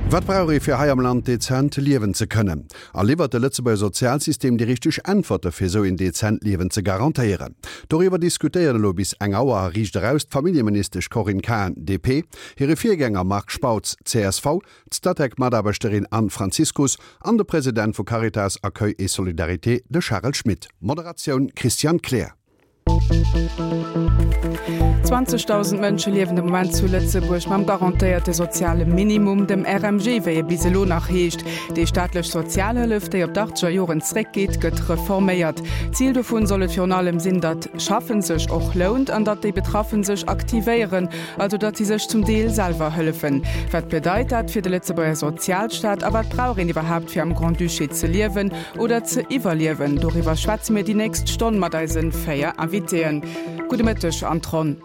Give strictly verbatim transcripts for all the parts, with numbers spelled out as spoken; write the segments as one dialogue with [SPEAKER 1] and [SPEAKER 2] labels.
[SPEAKER 1] Wat brauch ee fir hei am Land dezent liewen ze kënnen? A liwwert de Lëtzebuerger Sozialsystem déi richteg Äntwerte fir esou een dezent Liewen ze garantéieren? Doriwwer diskutéieren elo bis eng Auer a Riicht Eraus d'Familljeministesch Corinne Cahen, D P, hire Virgänger Marc Spautz, C S V, d'Statec-Mataarbechterin Anne Franziskus an de President vu Caritas Accueil et Solidarité, de Charel Schmit. Moderatioun Christian Kleer.
[SPEAKER 2] zwanzegdausend Mënsche liewen de Moment zu Lëtzebuerg mam garantéierte soziale Minimum, dem R M G, wéi e bis elo nach heescht. Déi staatlech Sozialhëllef, déi op d'achtzeger Joren zréckgeet, gëtt reforméiert. Zil dovun soll et virun allem sinn, datt Schaffen sech och lount an datt déi Betraffen sech aktivéieren, also datt si sech zum Deel selwer hëllefen. Wat bedeit dat fir de Lëtzebuerger Sozialstaat a wat brauch een iwwerhaapt fir am Grand-Duché ze liewen oder ze iwwerliewen? Doriwwer schwätze mir déi nächst Stonn mat eise véier Invitéen. Gudde Mëtteg an d'Ronn.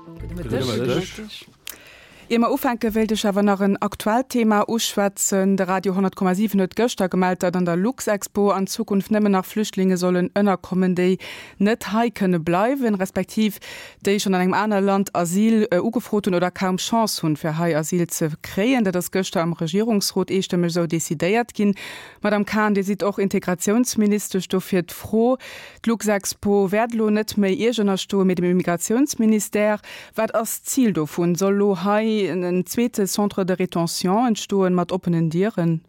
[SPEAKER 2] Ier mer ufänke wéilt ech awer nach en aktuellt Thema uschwätzen. De Radio honnert Komma siwen huet gëschter gemellt, datt an der Luxexpo an Zukunft nëmmen nach Flüchtlinge sollen ënnerkommen, déi net hei kënne bleiwen, respektiv déi schonn an engem anere Land Asyl ugefrot hunn oder kaum Chance hunn, fir hei Asyl ze kréien. Dat ass gëschter am Regierungsrot eestëmmeg esou decidéiert ginn. Madame Cahen, Dir sidd och Integratiounsministesch, dofir d'Fro, D'Luxexpo wäert elo net méi Iech ënnerstoen, mee dem Immigratiounsministère. Wat ass d'Zil dovun? Soll elo hei en zweete Centre de rétention entstoen mat oppenen Dieren?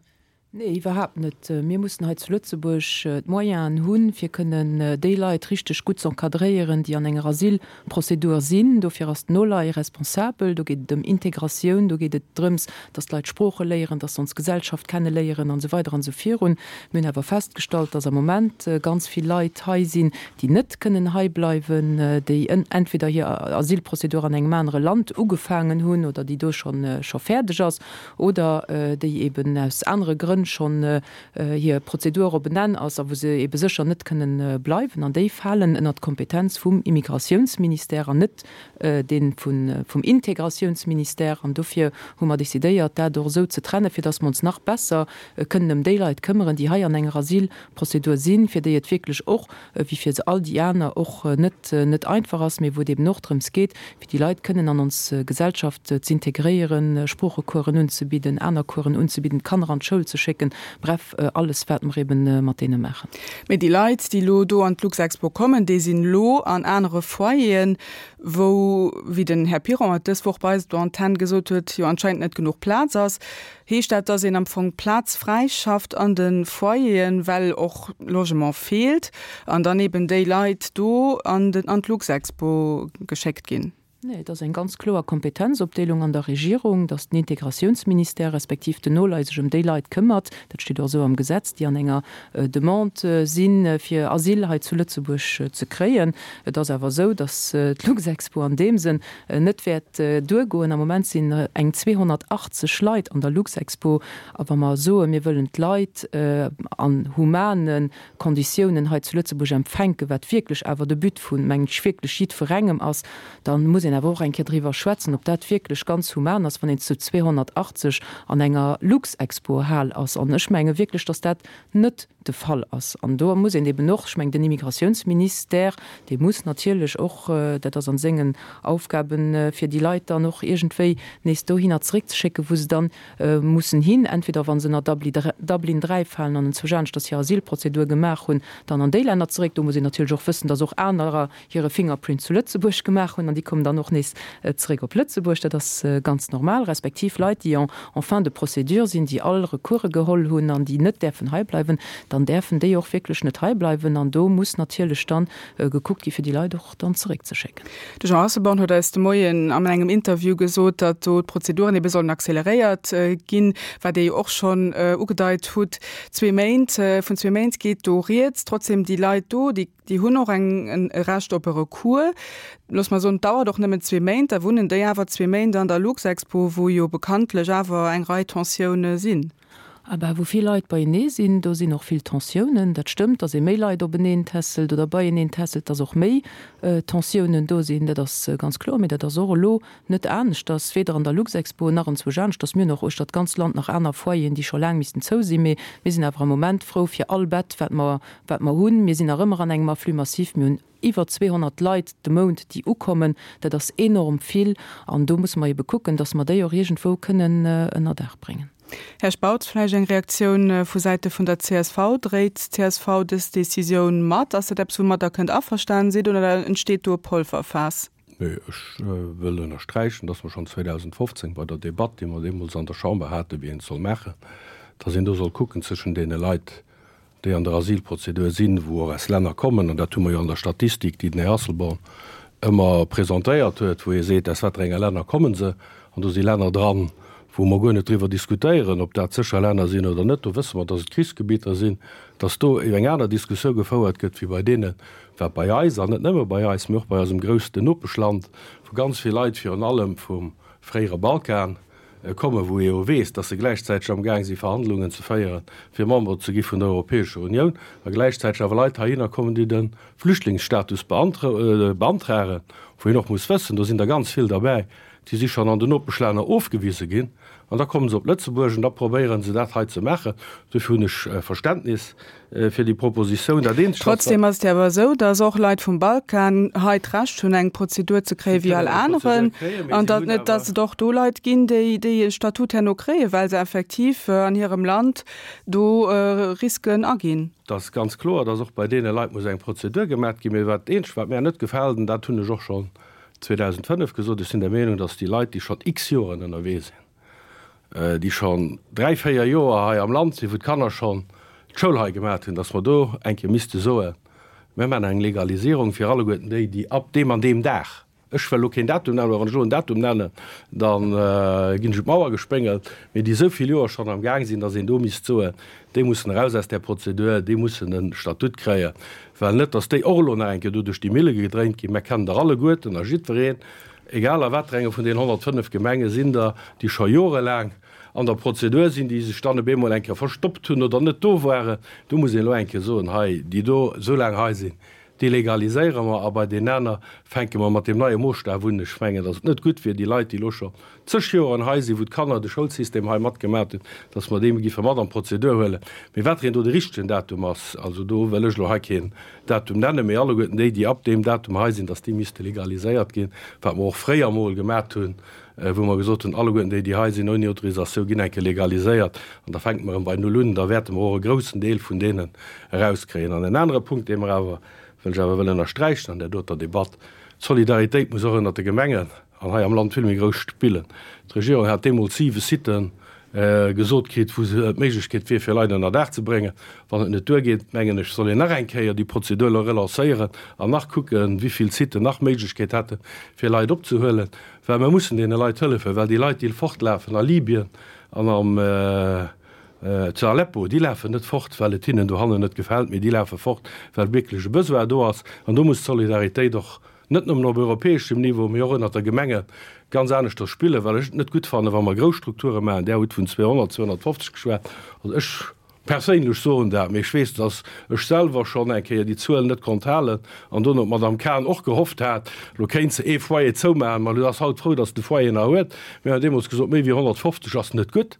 [SPEAKER 3] Nee, iwwerhaapt net. Mir mussen hei zu Lëtzebuerg d'Moyenen hunn, fir kënnen déi Leit richteg gutt z'encadréieren, déi an enger Asylprozedur sinn. Dofir ass d'NOLAI responsabel. Do geet et ëm Integratioun, do geet et drëms, dass d'Leit Sprooche léieren, dass se ons Gesellschaft kenneléieren an esou weider an esou virun. Mir hunn awer festgestallt, dass am Moment ganz vill Leit hei sinn, déi net kënnen hei bleiwen, déi entweder hir Asylprozedur an engem anere Land ugefaangen hunn oder déi do schonn scho fäerdeg ass oder déi eben aus anere Grënn schonn hir Prozedur op en Enn ass a wou se ebe sécher net kënnen bleiwen. An déi falen ënnert d'Kompetenz vum Immigratiounsministère an net dee vum Integratiounsministère. An dofir hu mer decidéiert, dat och esou ze trennen, fir dass mer ons nach besser kënnen ëm déi Leit këmmeren, déi hei an enger Asylprozedur sinn, fir déi et wierklech och, wéi fir all déi aner och, net net einfach ass, mee wou et eben och drëms geet, fir déi Leit kënnen an ons Gesellschaft z'integréieren, Sproochecoursen unzebidden, aner Coursen unzebidden, d'Kanner an d'Schoul ze schécken, bref, alles wat mer eben mat deene maachen.
[SPEAKER 2] Mee déi Leit, déi elo do an d'Luxexpo kommen, déi sinn elo an anere Foyeren, wou, wéi den Här Piron et dës Woch bei eis op der Antenn gesot huet, jo anscheinend net genuch Plaz ass. Heescht dat, dass een am Fong Plaz fräischafft an de Foyeren, well och Logement feelt, an dann eben déi Leit do an den, an d'Luxexpo geschéckt ginn?
[SPEAKER 3] Nee, et ass eng ganz kloer Kompetenzopdeelung an der Regierung, dass den Integratiounsministère respektiv den NOLAI sech ëm déi Leit këmmert, dat steet och esou am Gesetz, déi an enger Demande sinn, fir Asyl hei zu Lëtzebuerg ze kréien. Et ass awer esou, dass d'Luxexpo an deem Sënn net wäert duergoen. Am Moment sinn eng zweehonnertachtzeg Leit an der Luxexpo. A wa mer soen, mir wëllen d'Leit an humane Konditiounen hei zu Lëtzebuerg empfänken, wat wierklech awer de But vun, mengen ech, wierklech jiddwerengem ass, da muss een awer och eng Kéier driwwer schwätzen, ob dat wierklech ganz human ass, wann een zu zweehonnertachtzeg an enger Luxexpo-Hal ass. An ech menge wierklech, dass dat net de Fall ass. An do muss een eben och, ech mengen, den Immigratiounsministère, dee muss natierlech och, dat ass an sengen Aufgaben, fir déi Leit dann och iergendwéi nees dohinner zeréckzeschécken, wou se dann mussen hin, entweder wa se ënner Dublin dräi falen an enzwousch aneschters hir Asylprozedur gemaach hunn, dann an déi Länner zeréck. Do muss een natierlech och wëssen, dass och anerer hire Fingerprint zu Lëtzebuerg gemaach hunn an déi kommen dann och nees zeréck op Lëtzebuerg. Dat ass ganz normal. Respektiv Leit, déi en fin de procédure sinn, déi all Recourse geholl hunn an déi net däerfen hei bleiwen, dann däerfen déi och wierklech net hei bleiwen an do muss natierlech dann gekuckt gi fir déi Leit och dann zeréckzeschécken.
[SPEAKER 2] De Jean Asselborn huet eis de Moien an engem Interview gesot, datt do d'Prozeduren ebe sollen acceleréiert ginn, wat Dir jo och schonn ugedeit hutt. Zwee Méint, vun zwee Méint geet do rieds. Trotzdem déi Leit do, déi déi hunn och eng e Recht op e Recours. Looss mer soen, et dauert och nëmmen zwee Méint, da wunnen déi awer zwee Méint an der Luxexpo, wou jo bekanntlech awer eng Rei Tensioune sinn.
[SPEAKER 3] Ah bah, wou vill Leit beienee sinn, do sinn och vill Tensiounen. Dat stëmmt, datt ee méi Leit openeen tässelt oder beieneen tässelt, datt och méi Tensiounen do sinn, dat ass ganz kloer. Mee dat ass och elo net aneschters, weder an der Luxexpo nach enzwousch aneschters. Mir hunn och uechter d'ganz Land nach aner Foyeren, déi scho laang missten zou sinn. Mee mir sinn awer am Moment frou fir all Bett, wat mer, wat mer hunn. Mir sinn nach ëmmer an engem Afflux massif. Mir hunn iwwer zweehonnert Leit de Mount, déi ukommen. Dat ass enorm vill. An do musse mer ebe kucken, datt mer déi och iergendwou kënnen ënnerdaach bréngen.
[SPEAKER 2] Här Spautz, vläicht eng Reaktioun vu Säite vun der csv. Dréit d'CSV dës Decisioun mat? Ass dat eppes, woumat Der kënnt averstanen sidd oder entsteet do e Polverfaass?
[SPEAKER 4] Nee, ech wëll ënnersträichen, dass mer schonn zweedausendfofzéng bei der Debatt, déi mer deemools an der Chamber haten, wéi een et soll maachen, dass een do soll kucken zwëschen deene Leit, déi an der Asylprozedur sinn, wou och aus Länner kommen, an dat hu mer jo an der Statistik, déi den Här Asselborn ëmmer presentéiert huet, wou hie seet, aus wat fir enge Länner komme se, an do si Länner dran, wou mer guer net driwwer diskutéieren, ob dat sécher Länner sinn oder net, do wësse mer, dass et Krichsgebieter sinn, dass do eng aner Diskussioun gefouert gëtt wéi bei deenen, wat bei eis, an net nëmme bei eis, mee och bei eisem groussten Nopeschland, wou ganz vill Leit virun allem vum fréiere Balkan kommen, wou ee jo weess, dass se gläichzäiteg amgaang si Verhandlungen ze féieren, fir Member ze gi vun der Europäescher Unioun, a gläichzäiteg awer Leit heihinner kommen, déi de Flüchtlingsstatus beantragen, wou een och muss wëssen, do sinn der ganz vill derbäi, déi si schonn an den Nopeschlänner ofgewise ginn, an da komme se op Lëtzebuerg an da probéiere se dat hei ze maachen. Dofir hunn ech Verständnis fir déi Propositioun. Dat Eenzegt, wat.
[SPEAKER 2] Trotzdem ass et jo awer esou, datt och Leit vum Balkan hei d'Recht hunn, eng Prozedur ze kréien wéi all aneren, an datt net, datt et och do Leit ginn, déi déi e Statut herno kréien, well se effektiv an hirem Land do Risken aginn.
[SPEAKER 4] Et ass ganz kloer, datt och bei deene Leit muss eng Prozedur gemaach ginn. Mee wat dat Eenzegt, wat mär net gefält, an dat hunn ech och schonn zweedausendfënnef gesot, ech sinn der Meenung, datt déi Leit, déi schonn x Joren ënnerwee sinn, déi schonn dräi, véier Joer hei am Land sinn, wou d'Kanner schonn d'Schoul hei gemaat hunn, datt mer do eng Kéier misste soen, mir maachen eng Legalisierung fir alleguerten déi, déi ab deem an deem Dag, ech wëll elo keen Datum nennen, well wann ech elo en Datum nennen, da ginn ech un d'Mauer gespéngelt, mee déi esou vill Joer schonn am Gaang sinn, datt een do misst soen, déi mussen eraus aus där Prozedur, déi mussen e Statut kréien, well net, datt déi och elo nach eng Kéier do duerch déi Mille gedréint ginn. Mer kennen der alleguerten a jiddwereen, egal a wat fir enge vun deenen honnertfënnef Gemenge sinn der, déi scho jorelaang an der Prozedur sinn, déi sech dann op eemol eng Kéier verstoppt hunn oder net do waren. Do muss een elo eng Kéier soen, hei, déi do esou laang hei sinn, déi legaliséiere mer a bei deenen aner fänke mer mat deem neie Moosstaf un. Ech mengen, datt et net gutt wier, déi Leit, déi elo scho zeg Joren hei sinn, wou d'Kanner de Schoulsystem hei matgemat hunn, datt mer déi giffe mat an d'Prozedur huelen. Mee wat fir een do de richtegen Datum ass, also do wëll ech elo hei keen Datum nennen, mee alleguerten déi, déi ab deem Datum hei sinn, datt déi misste legaliséiert ginn, wat mer och fréier emol gemat hunn, wou mer gesot hunn, alleguerten déi, déi hei sinn ouni Autorisatioun, ginn eng Kéier legaliséiert an da fänke mer erëm bei Null un, da wäerte mer och e groussen Deel vun deenen erauskréien. An en anere Punkt, dee mer awer, wëll ech awer wëll ënnersträichen an där doter Debatt, D'Solidaritéit muss och ënnert de Gemengen an hei am Land vill méi grouss spillen. D'Regierung hat deemools siwe Siten gesot kritt, wou se d'Méiglechkeet wier, fir Leit ënnerdaach ze bréngen. Wann et net duergeet, mengen ech, soll een nach eng Kéier déi Prozedur elo relancéieren an nach kucken, wéi vill Siten nach d'Méiglechkeet hätten, fir Leit opzehuelen, well mer mussen deene Leit hëllefen, well déi Leit, déi fortlafen a Libyen an am zu Aleppo, déi lafen net fort, well et hinnen dohannen net gefält, mee déi lafe fort, well wierklech e Besoin do ass. An do muss d'Solidaritéit och net nëmmen op europäeschem Niveau, mee och ënnert der Gemenge ganz aneschters spillen, well ech et net gutt fannen, wa mer grouss Strukture maachen. Där hutt vun zweehonnert, zweehonnertfofzeg geschwat. Also ech perséinlech soen dat, mee ech weess, dass ech selwer schonn eng Kéier déi Zuel net konnt halen an dono d'Madame Cahen och gehofft hat, elo kéint se ee Foyer zoumaachen. Ma elo ass haut frou, dass se de Foyer nach huet. Mir hunn deemools gesot, méi wéi honnertfofzeg ass net gutt.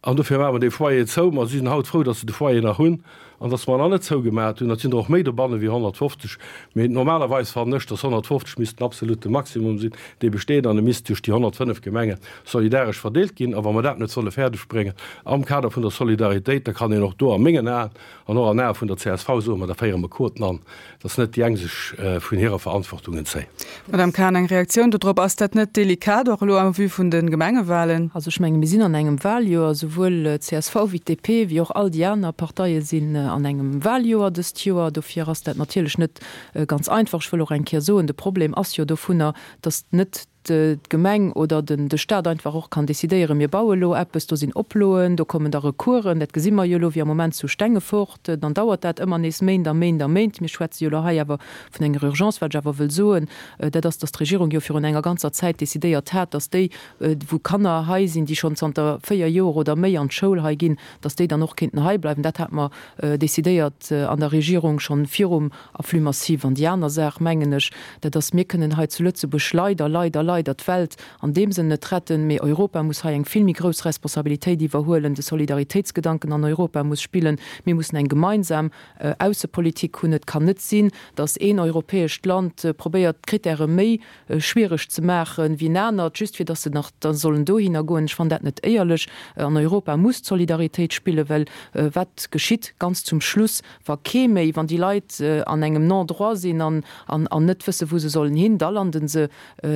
[SPEAKER 4] An dofir maache mer dee Foyer zou. Ma si sinn haut frou, datt se de Foyer nach hunn an datt mer en nach net zougemaacht hunn. Et sinn der och méi dobanne wéi honnertfofzeg. Mee normalerweis fannen ech, datt honnertfofzeg misst den absolute Maximum sinn, dee besteet, an e misst duerch déi honnertfënnef Gemenge solidaresch verdeelt ginn. A wa mer dat net solle fäerdegbréngen am Kader vun der Solidaritéit, da kann een och do a mengen Aen an och an Ae vun der csv soen, ma da féiere mer Quoten an, datt net déi eng sech vun hirer Verantwortung entzéien.
[SPEAKER 2] Madame Cahen, eng Reaktioun dodrop? Ass dat net delikat, och elo en vue vun de Gemengewahlen?
[SPEAKER 3] Also ech menge mir sinn an engem Wahljoer, souwuel csv wéi d'DP wéi och all déi aner Parteie sinn an engem Wahljoer dëst Joer. Dofir ass dat natierlech net ganz einfach. Ech wëll och eng Kéier soen, de Problem ass jo dovunner, datt net d'Gemeng oder de Stat einfach och kann decidéieren, mir baue lo eppes, do sinn Oploen, do kommen da Recoursen, dat gesi mer jo elo wéi am Moment zu Stengefort, dann dauert dat ëmmer nees Méint a Méint a Méint. Mir schwätze jo elo hei awer vun enger Urgence. Wat ech awer wëll soen, dat ass, datt d'Regierung jo virun enger ganzer Zäit decidéiert hat, datt déi, wou Kanner hei sinn, déi schonn zanter véier Joer oder méi an d'Schoul hei ginn, datt déi dann och kéinten hei bleiwen. Dat hate mer decidéiert an der Regierung schonn virum Afflux massif. An déi aner Saach, mengen ech, dat ass, mir kënnen hei zu Lëtzebuerg leider, leider, leider, leider d'Welt an deem Sënn net retten, mee Europa muss hei eng vill méi grouss Responsabilitéit iwwerhuelen, de Solidaritéitsgedanken an Europa muss spillen, mir mussen eng gemeinsam Aussepolitik hunn. Et kann net sinn, datt een europäescht Land probéiert d'Krittäre méi schwiereg ze maache wéi en anert, just fir datt se nach da sollen dohinner goen. Ech fannen dat net éierlech. An Europa muss d'Solidaritéit spillen, well wat geschitt ganz zum Schluss, wa kee méi, wann déi Leit an engem Non-droit sinn an an net wësse wou se sollen hin, da landen se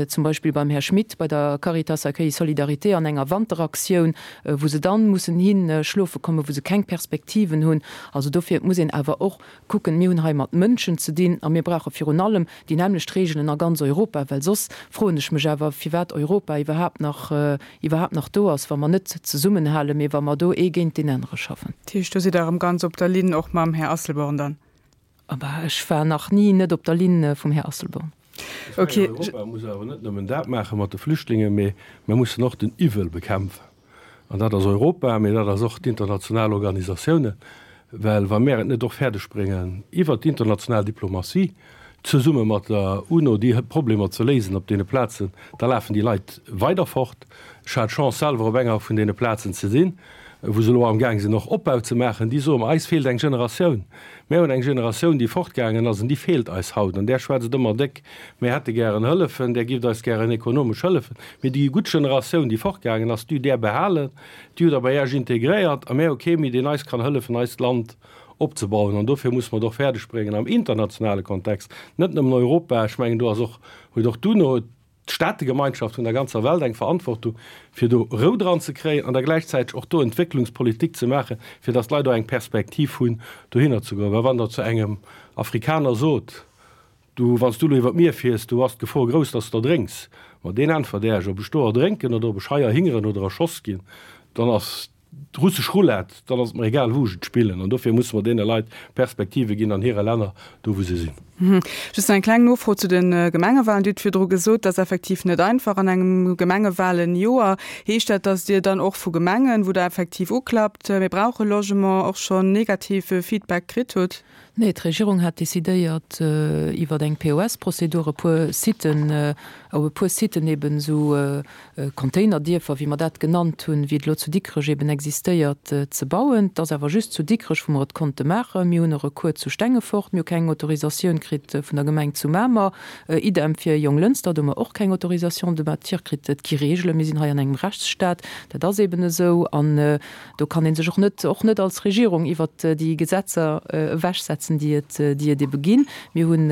[SPEAKER 3] zum Beispill beim Här Schmit bei der Caritas Accueil Solidarité an enger Wanteraktioun, wou se dann mussen hin schlofe kommen, wou se keng Perspektiven hunn. Also dofir muss een awer och kucken, mir hunn hei mat Mënschen ze dinn a mir brauche virun allem déi nämmlecht Regeln a ganz Europa, well soss froen ech mech awer, firwat Europa iwwerhaapt nach iwwerhaapt nach do ass, wa mer net zesummenhalen, mee wa mer do ee géint deen anere schaffen.
[SPEAKER 2] Dat heescht, do sidd Der erëm ganz op der Linn och mam Här Asselborn dann?
[SPEAKER 3] Aber ech war nach ni net op der Linn vum Här Asselborn.
[SPEAKER 4] Ech mengen, Europa muss awer net nëmmen dat maache mat de Flüchtlingen, mee mir mussen och den Iwwel bekämpfen. An dat ass Europa, mee dat ass och d'international Organisatiounen. Well wa mär et net och fäerdeg bréngen, iwwert d'international Diplomatie zesumme mat der UNO déi Problemer ze léisen op deene Plazen, da lafen déi Leit weider fort. Ech hat d'Chance selwer op enger vun deene Plazen ze sinn, wou se elo amgaang sinn och Opbau ze maachen. Déi soe mer, eis feelt eng Generatioun. Mär hunn eng Generatioun, déi fortgaangen ass an déi feelt eis haut. An där schwätzt ëmmer déck, mär hätte gären Hëllefen, där gift eis gären ekonomesch hëllefen. Mee déi gutt Generatioun, déi fortgaangen ass, déi hutt där behalen, déi hutt der bei Iech integréiert a mär hu kee méi, deen eis kann hëllefen, eist Land opzebauen. An dofir musse mer et och fäerdeg bréngen am internationale Kontext, net nëmmen Europa, ech mengen do ass och, huet och d'UNO, d'Staategemeinschaft vun der ganzer Welt eng Verantwortung, fir do Rou dran ze kréien an da gläichzäiteg och do Entwécklungspolitik ze maachen, fir datt d'Leit och eng Perspektiv hunn, dohinner ze goen. Well wann Der zu engem Afrikaner sot, Du, wann s du elo iwwer d'Mier fiers, do ass d'Gefor grouss, datt s de erdrénks, ma deen äntwert Äech, ob ech do erdrénken oder ob ech hei erhingeren oder erschoss ginn, dann ass d'russesch Roulette, dann ass et mer egal, wou ech et spillen. An dofir musse mer deene Leit Perspektive ginn an hire Länner, do wou se sinn.
[SPEAKER 2] Just nach eng kleng Nofro zu de Gemengewahlen. Dir hutt virdru gesot, dat ass effektiv net einfach an engem Gemengewahlenjoer. Heescht dat, datt Dir dann och vu Gemengen, wou Der effektiv uklappt, mir brauche Logement, och schonn negative Feedback kritt hutt?
[SPEAKER 3] Nee, d'Regierung hat decidéiert, iwwer eng P O S-Prozedur e puer Siten, op e puer Siten eben esou Containerdierfer, wéi mer dat genannt hunn, wéi et elo zu Dikrech eben existéiert, ze bauen. Et ass awer just zu Dikrech, wou mer et konnte maachen. Mir hunn e Recours zu Stengefort, mir hu keng Autorisatioun kritt vun der Gemeng zu Mamer. Idem fir Jonglënster, do hu mer och keng Autorisation de bâtir kritt. Et gi Regelen, mir sinn hei an engem Rechtsstaat, dat ass eben esou. An do kann ee sech och net, och net als Regierung iwwert déi Gesetzer ewechsetzen, déi et, déi et ebe ginn. Mir hunn,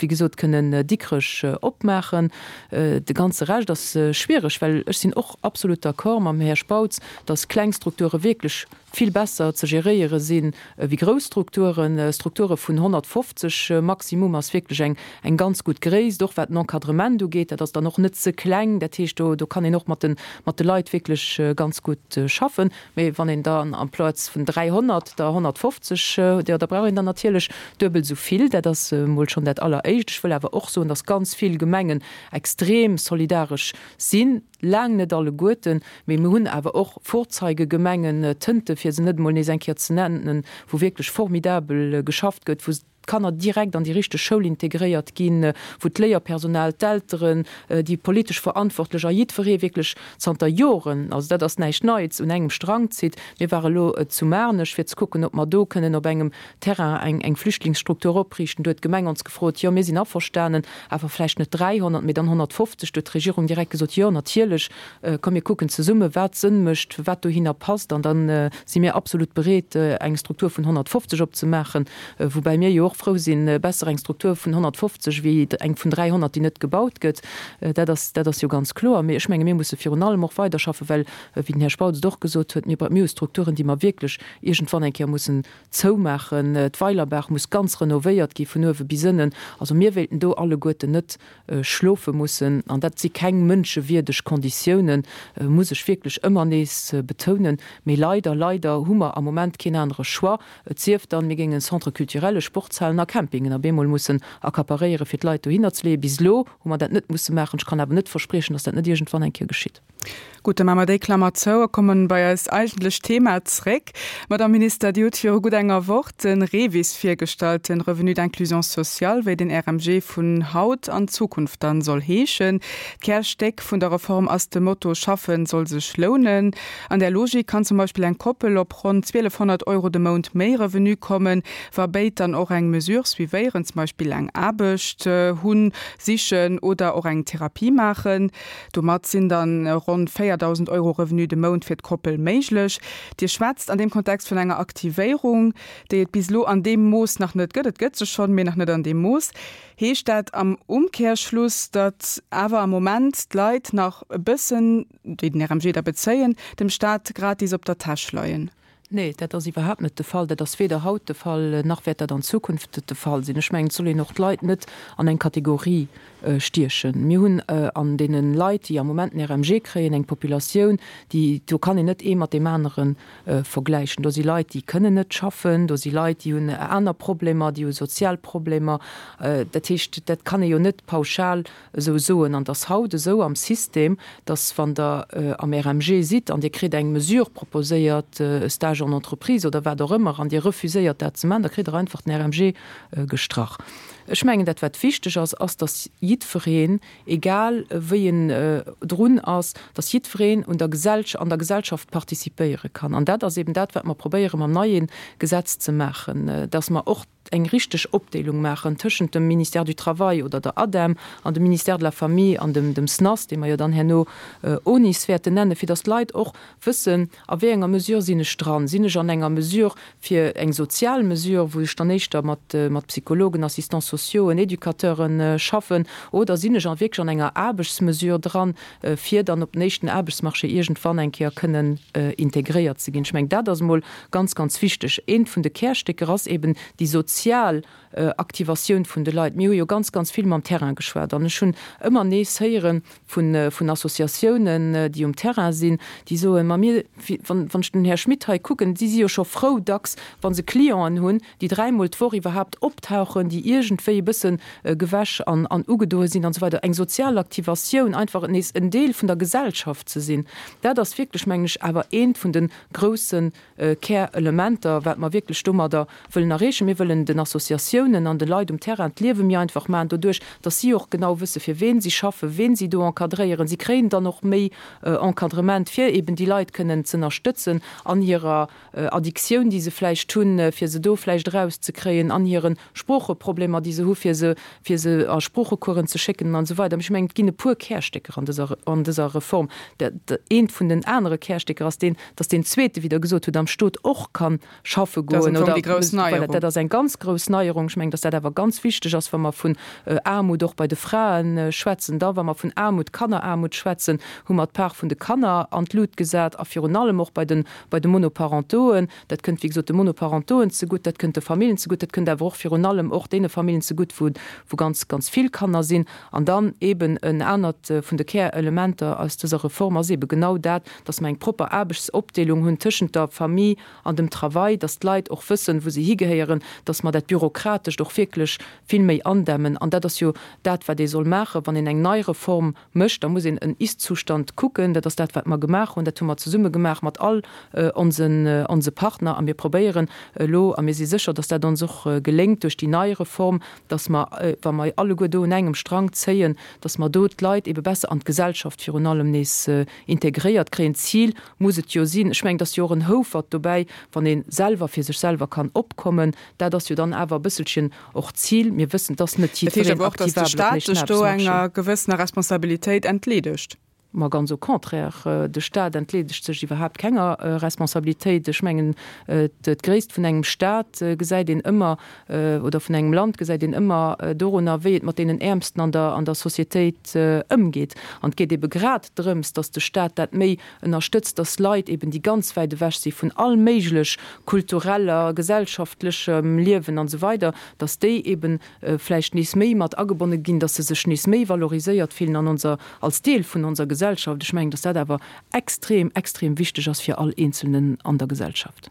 [SPEAKER 3] wéi gesot, kënnen Dikrech opmaachen. De ganze Rescht ass schwiereg, well ech sinn och absolut d'accord mam Här Spautz, dass kleng Strukture wierklech vill besser ze geréiere sinn wéi grouss Strukturen. Strukture vun honnertfofzeg maximum ass wierklech eng, eng ganz gutt Gréisst, och wat den Encadrement ugeet. Dat ass dann och net ze kleng, dat heescht, do, do kann een och mat den, mat de Leit wierklech ganz gutt schaffen. Mee wann een dann amplaz vun dräihonnert der honnertfofzeg huet, jo, da brauch een der natierlech duebel esou vill. Dat ass emol schonn dat Alleréischt. Ech wëll awer och soen, dass ganz vill Gemengen extrem solidaresch sinn, laang net alleguerten, mee mir hunn awer och Vorzeigegemengen, Tënte fir se net emol nees eng Kéier ze nennen, wou wierklech formidabel geschafft gëtt, wou d'Kanner direkt an déi richteg Schoul integréiert ginn, wou d'Léierpersonal, d'Elteren, déi politesch Verantwortlech a jiddweree wierklech zanter Joren, also dat ass näischt Neits, un engem Strang zitt. Mir ware lo zu Maarnech, fir ze kucken, ob mer do kënnen op engem Terrain eng eng Flüchtlingsstruktur opriichten. Do huet d'Gemeng ons gefrot, jo, mir sinn averstanen, awer vläicht net dräihonnert, mee dann honnertfofzeg. Do huet d'Regierung direkt gesot, jo, natierlech, komm mir kucken zesumme wat Sënn mécht, wat dohinner passt, an da si mir absolut bereet, eng Struktur vun honnertfofzeg opzemaachen, woubäi mir jo och frou sinn, besser eng Struktur vun honnertfofzeg wéi eng vun dräihonnert, déi net gebaut gëtt. Dat ass, dat ass jo ganz kloer. Mee ech menge mir musse virun allem och weiderschaffen, well, wéi den Här Spautz et och gesot huet, mir, mir hu Strukturen, déi mer wierklech iergendwann eng Kéier mussen zoumaachen. D'Weilerbaach muss ganz renovéiert gi vun uewe bis ënnen. Also mir wéilten do alleguerten net schlofe mussen. An dat si keng mënschewierdeg Konditiounen, muss ech wierklech ëmmer nees betounen. Mee leider, leider hu mer am Moment keen anere Choix, et sief dann, mir géingen Centres culturellen, Sportshalen a Campingen op eemol mussen accaparéieren, fir d'Leit dohinner ze leeën. Bis elo hu mer dat net musse maachen. Ech kann awer net verspriechen, dass dat net iergendwann eng Kéier geschitt.
[SPEAKER 2] Gutt, da maache mer déi Klammer zou a kommen bei eist eigentlecht Thema zréck. Madame Minister, Dir hutt viru gutt enger Woch de REVIS virgestallt, den Revenu d'inclusion sociale, wéi den R M G vun haut an Zukunft dann soll heeschen. D'Kärstéck vun der Reform ass de Motto Schaffen soll sech lounen. An där Logik kann zum Beispill eng Koppel op ronn zwielefhonnert Euro de Mount méi Revenu kommen, wa béid dann och eng Mesure suivéieren, zum Beispill eng Aarbecht hunn, sichen oder och eng Therapie maachen. Domat sinn dann ronn véierdausend Euro Revenu de Mount fir d'Koppel méiglech. Dir schwätzt an deem Kontext vun enger Aktivéierung, déi et bis elo an deem Mooss nach net gëtt. Et gëtt se schonn, mee nach net an deem Mooss. Heescht dat am Umkehrschluss, datt awer am Moment d'Leit nach e bëssen, déi den R M G da bezéien, dem Staat gratis op der Täsch leien?
[SPEAKER 3] Nee, dat ass iwwerhaapt net de Fall. Dat ass weder haut de Fall, nach wäert dat an Zukunft de Fall sinn. Ech mengen, et soll een och d'Leit net an eng Kategorie stiechen. Mir hunn an deene Leit, déi am Moment den R M G kréien, eng Populatioun, déi, do kann een net ee mat deem anere vergläichen. Do si Leit, déi kënnen net schaffen, do si Leit, déi hunn aner Problemer, déi hu sozial Problemer. Dat heescht, dat kann ee jo net pauschal esou soen. An dass haut esou am System, dass wann der am R M G sidd an Dir kritt eng Mesure proposéiert, e Stage en entreprise oder wat och ëmmer, an Dir refuséiert dat ze maachen, da kritt der einfach den R M G gestrach. Ech mengen, dat wat wichteg ass, ass, dass jiddwereen, egal wéi en drun ass, dass jiddwereen un der Gesellschaft, an der Gesellschaft participéiere kann. An dat ass eben dat, wat mer probéiere mam neien Gesetz ze maachen, dass mer och eng richteg Opdeelung maachen tëschent dem Ministère du Travail oder der ADEM an dem Ministère de la Famille an dem, dem S N A S, dee mer jo dann herno O N I S wäerten nennen, fir dass d'Leit och wëssen, a wéi enger Mesure sinn ech dran. Sinn ech an enger Mesure fir eng sozial Mesure, wou ech dann éischter mat, mat Psychologen, Assistants sociaux, Educateuren schaffen, oder sinn ech an wierklech an enger Aarbechtsmesure dran, fir dann op den éischten Aarbechtsmarché iergendwann eng Kéier kënnen integréiert ze ginn. Ech mengen, dat ass mol ganz, ganz wichteg. Eent vun de Kärstécker ass eben déi sozial Aktivatioun vun de Leit. Mir hu jo ganz, ganz vill mam Terrain geschwat. An ech hunn ëmmer nees héiere vun, vun Associatiounen, déi um Terrain sinn, déi soen, ma mir, wann, wann ech den Här Schmit hei kucken, si si jo scho frou dacks, wann se Clienten hunn, déi dräimol d'Woch iwwerhaapt optauchen, déi iergendwéi e bëssen gewäsch an, an ugedoe sinn an so weiter. Eng sozial Aktivatioun, einfach nees en Deel vun der Gesellschaft ze sinn. Dat ass wierklech, mengen ech, awer eent vun den groussen Kärelementer, wat mer wierklech domadder wëllen erreechen. Mir wëllen den Associatiounen an de Leit um Terrain d'Liewe méi einfach maachen, doduerch, dass si och genau wësse, fir wen si schaffen, wen si do encadréieren. Si kréien dann och méi Encadrement, fir eben déi Leit kënnen ze ënnerstëtzen an hirer Addiktioun, déi se vläicht hunn, fir se do vläicht erauszekréien, an hiren Sproocheproblemer, déi se hu, fir se, fir se a Sproochecoursen ze schécken an so weiter. Ech mengen, et ginn e puer Kärstécker an dëser, an dëser Reform. Der, eent vun den anere Kärstécker ass deen, dass den zweete, wéi der gesot hutt, am Stot och kann schaffe
[SPEAKER 2] Dat ass
[SPEAKER 3] goen
[SPEAKER 2] am Fong
[SPEAKER 3] oder
[SPEAKER 2] déi grouss
[SPEAKER 3] voilà,
[SPEAKER 2] Neierung.
[SPEAKER 3] dat ass eng ganz grouss Neierung. Ech mengen, dass dat awer ganz wichteg ass, wa mer vun Aarmut och bei de Fraen schwätzen. Da, wa mer vun Aarmut, Kanneraarmut schwätzen, hu mer d'Part vun de Kanner an d'Lut gesat a virun allem och bei den, bei de Monoparentoen. Dat kënnt, wéi gesot, de Monoparentoen zegutt, dat kënnt de Familljen zegutt, dat kënnt awer och virun allem och deene Familljen zegutt, wou, wou ganz, ganz vill Kanner sinn. An dann eben en anert vun de Kärelementer aus dëser Reform ass eben genau dat, dass mer eng proper Aarbechtsopdeelung hunn tëschent der Famille an dem Travail, dass d'Leit och wëssen, wou se higehéieren, dass mer dat Bürokratescht och wierklech vill méi andämmen. An dat ass jo dat, wat ee soll maachen, wann een eng nei Reform mécht, da muss een en Ist-Zustand kucken. Dat ass dat, wat mer gemaach hunn. Dat hu mer zesumme gemaach mat all onsen, onse Partner. A mir probéieren elo, a mir si sécher, dass dat ons och geléngt duerch déi nei Reform, dass mer, wa mer alleguer do un engem Strang zéien, dass mer do d'Leit ebe besser an d'Gesellschaft virun allem nees integréiert kréien. Ziel muss et jo sinn. Ech mengen, dass jo och en Houfert dobäi, wann een selwer fir sech selwer kann opkommen, dat ass jo dann awer e bësselchen och Ziel. Mir wëssen, dass net
[SPEAKER 2] Dat heescht
[SPEAKER 3] jiddwereen
[SPEAKER 2] awer och, dass de
[SPEAKER 3] aktivabel op
[SPEAKER 2] Staat
[SPEAKER 3] den
[SPEAKER 2] sech do
[SPEAKER 3] Aarbechtsmarché.
[SPEAKER 2] enger gewëssener Responsabilitéit entleedegt.
[SPEAKER 3] Ma ganz au contraire, de Staat entleedegt sech iwwerhaapt kenger Responsabilitéit. Ech mengen, d'Gréisst vun engem Staat gesäit een ëmmer, oder vun engem Land gesäit een ëmmer dorunner, wéi et mat deenen Äermsten an der, an der Societéit ëmgeet. An et geet ebe grad drëms, dass de Staat dat méi ënnerstëtzt, dass Leit eben, déi ganz wäit ewech si vun all méiglech kultureller, gesellschaftlechem Liewen an so weiter, dass déi eben vläicht nees méi mat agebonne ginn, dass se sech nees méi valoriséiert fillen an onser, als Deel vun onser Gesellschaft, Gesellschaft. Ech mengen, dass dat awer extrem, extrem wichteg ass fir all Eenzelnen an der Gesellschaft.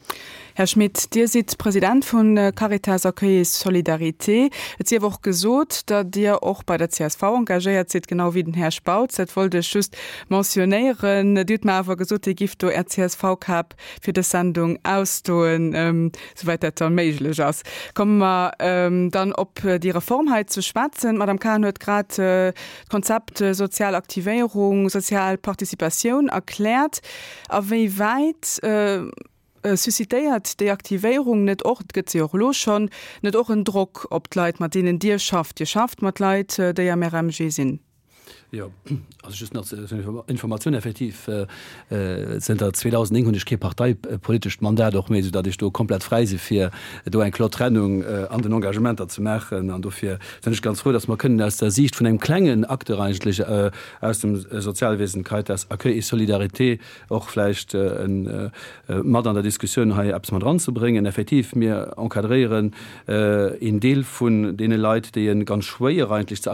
[SPEAKER 2] Här Schmit, Dir sidd President vun Caritas Accueil et Solidarité. Et sief och gesot, datt Dir och bei der csv engagéiert sidd, genau wéi den Här Spautz. Dat wollt ech just mentionnéieren. Dir hutt mer awer gesot, Dir gifft do Är CSV-Kap fir dës Sendung ausdoen, souwäit dat da méiglech ass. Komme mer dann op déi Reform hei ze schwätzen. D'Madame Cahen huet grad d'Konzept sozial Aktivéierung, sozial Participatioun erkläert. A wéi wäit suscitéiert déi Aktivéierung net och, et gëtt se jo och elo schonn, net och en Drock op d'Leit, mat deenen Dir schafft? Dir schafft mat Leit, déi am RMG sinn.
[SPEAKER 5] Jo, also just nach zur Informatioun, Effektiv, zënter zweedausendnéng hunn ech kee parteipolitescht Mandat och méi, soudatt ech do komplett fräi si fir do eng kloer Trennung an den Engagementer ze maachen. An dofir sinn ech ganz frou, datt mer kënnen aus der Siicht vun engem klengen Acteur eigentlech aus dem Sozialwesen, Caritas Accueil et Solidarité, och vläicht mat an der Diskussioun hei eppes mat eranzebréngen. Effektiv, mir encadréieren een Deel vun deene Leit, déi e ganz schwéier eigentlech ze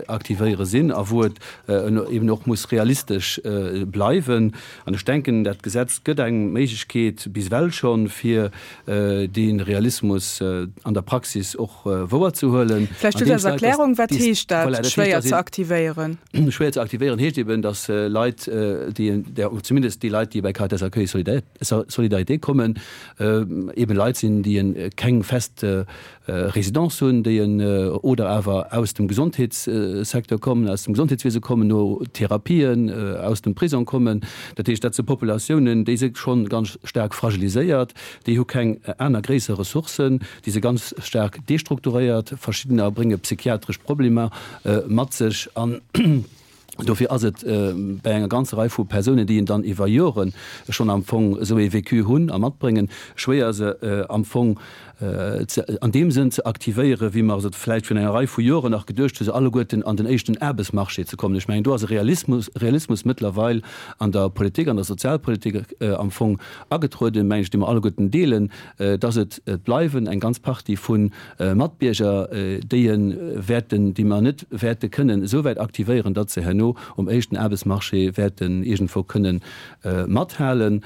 [SPEAKER 5] aktivéiere sinn a wou et eben och muss realistesch bleiwen. An ech denken, dat Gesetz gëtt eng Méiglechkeet bis ewell schonn, fir dee Realismus an der Praxis och wouerzehuelen.
[SPEAKER 2] Vläicht just als Erklärung, Wat heescht dat, schwéier ze aktivéieren?
[SPEAKER 5] Schwéier ze aktivéieren heescht eben, dass Leit, déi, zumindest déi Leit, déi bei Caritas Accueil Solidarité kommen, eben Leit sinn, déi keng fest Résidence hunn, déi oder awer aus dem Gesondheetssecteur kommen, aus dem Gesondheetswiese kommen, no Therapien, aus dem Prisong kommen. Dat heescht, dat si Populatiounen, déi si schonn ganz staark fragiliséiert, déi hu keng aner gréisser Ressourcen, déi si ganz staark destrukturéiert, verschiddener brénge psychiatresch Problemer mat sech an dofir ass et bei enger ganzer Rei vu Persounen, déi dann iwwer Jore schonn am Fong esou ee Vécu hunn a matbréngen, schwéier se am Fong an deem Sënn ze aktivéieren, wéi mer et vläicht virun enger Rei vu Joren nach geduecht hu se alleguerten an den éischten Aarbechtsmarché ze kommen. Ech mengen, do ass e Realismus, Realismus mëttlerweil an der Politik, an der Sozialpolitik am Fong agetrueden, mengen ech, dee mer alleguerten deelen, dass et bleiwen eng ganz Partie vu Matbierger, déi e wäerten, déi mer net wäerte kënnen esou wäit aktivéieren, datt se herno um éischten Aarbechtsmarché wäerten iergendwou kënnen mathalen,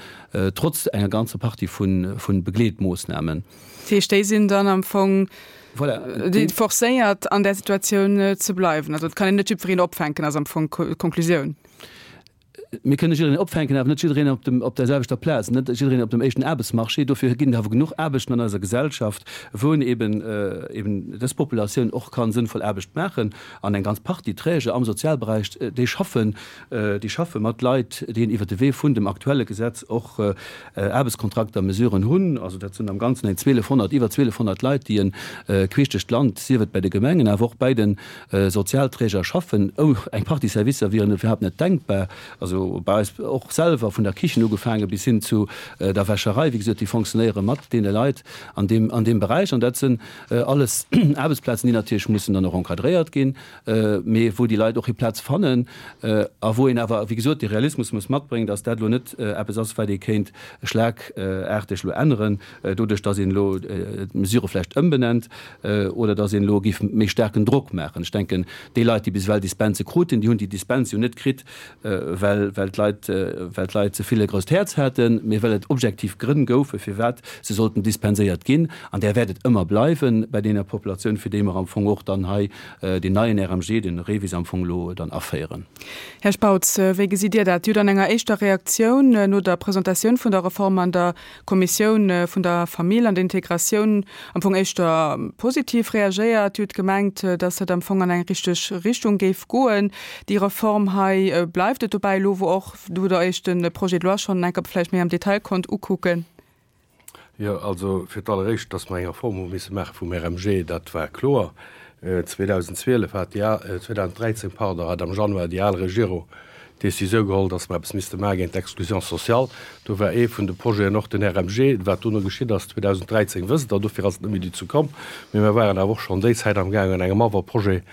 [SPEAKER 5] trotz enger ganzer Partie vu Begleetmoossnamen.
[SPEAKER 2] Dat heescht, déi sinn dann am Fong forcéiert, an där Situatioun ze bleiwen. Also et kann een net jiddwereen opfänken, ass am Fong d'Konklusioun.
[SPEAKER 5] Mir kënne jiddereen opfänken, awer net jiddereen op dem, op der selwechter Plaz, net jiddereen op dem éischten Aarbechtsmarché. Dofir ginn et awer genuch Aarbechten an eiser Gesellschaft, wou een eben, eben dës Populatioun och ka sënnvoll Aarbecht maachen. An eng ganz Partie Träger am Sozialberäich, déi schaffen, déi schaffe mat Leit, déi iwwert de Wee vun dem aktuelle Gesetz och Aarbechtskontrakter, Mesuren hunn. Also dat sinn am Ganzen eng zweelefhonnert, iwwer zweelefhonnert Leit, déi e queesch duerch d'Land, sief et bei de Gemengen, awer och bei de Sozialträger schaffen. Eng Partie Servicer wieren iwwerhaapt net denkbar. Also bei eis och selwer, vun der Kichen ugefaange bis hin zu der Wäscherei, wéi gesot, déi fonctionnéiere mat deene Leit an deem, an deem Beräich. An dat sinn alles Aarbechtsplazen, déi natierlech mussen dann och encadréiert ginn, mee wou déi Leit och hir Plaz fannen a wou een awer, wéi gesot, de Realismus muss matbréngen, dass dat elo net eppes ass, wat ee kéint schlagarteg elo änneren, doduerch dass een elo d'Mesure vläicht ëmbenennt oder dass een elo géif méi staarken Drock maachen. Ech denken, déi Leit, déi bis ewell Dispense kruten, déi hunn déi Dispens jo net kritt, well, well d'Leit, well d'Leit ze vill e grousst Häerz haten, mee well et objektiv Grënn goufe firwat se sollten dispenséiert ginn. An där wäert et ëmmer bleiwe bei deeër Populatioun, fir déi mer am Fong och dann hei deen neien R M G, den REVIS am Fong elo dann aféieren.
[SPEAKER 2] Här Spautz, wéi gesitt Dir dat? Dir hutt an enger éischter Reaktioun no der Presentatioun vun der Reform an der Kommissioun vun der Famill an der Integratioun am Fong éischter positiv reagéiert. Dir hutt gemengt, dass dat am Fong an eng richteg Richtung géif goen, déi Reform hei. Bleift et dobäi elo, wou och wou Der Iech de Projet de loi schonn eng Kéier vläicht méi am Detail konnt ukucken?
[SPEAKER 4] Jo, also fir d'alleréischt, dass mer eng Reform hu misse maache vum R M G, dat war kloer. zweedausendzwielef hat déi al, zweedausenddräizéng, pardon, hat am Januar déi al Regierung d'Décisioun geholl, dass mer eppes misste maache géint d'Exclusion sociale. Do war ee vun de Projeten och den R M G. Wat dono geschitt ass zweedausenddräizéng, wësst Der. Dofir ass et net méi dozou komm. Mee mer waren awer och schonn déi Zäit amgaangen, un engem Avant-projet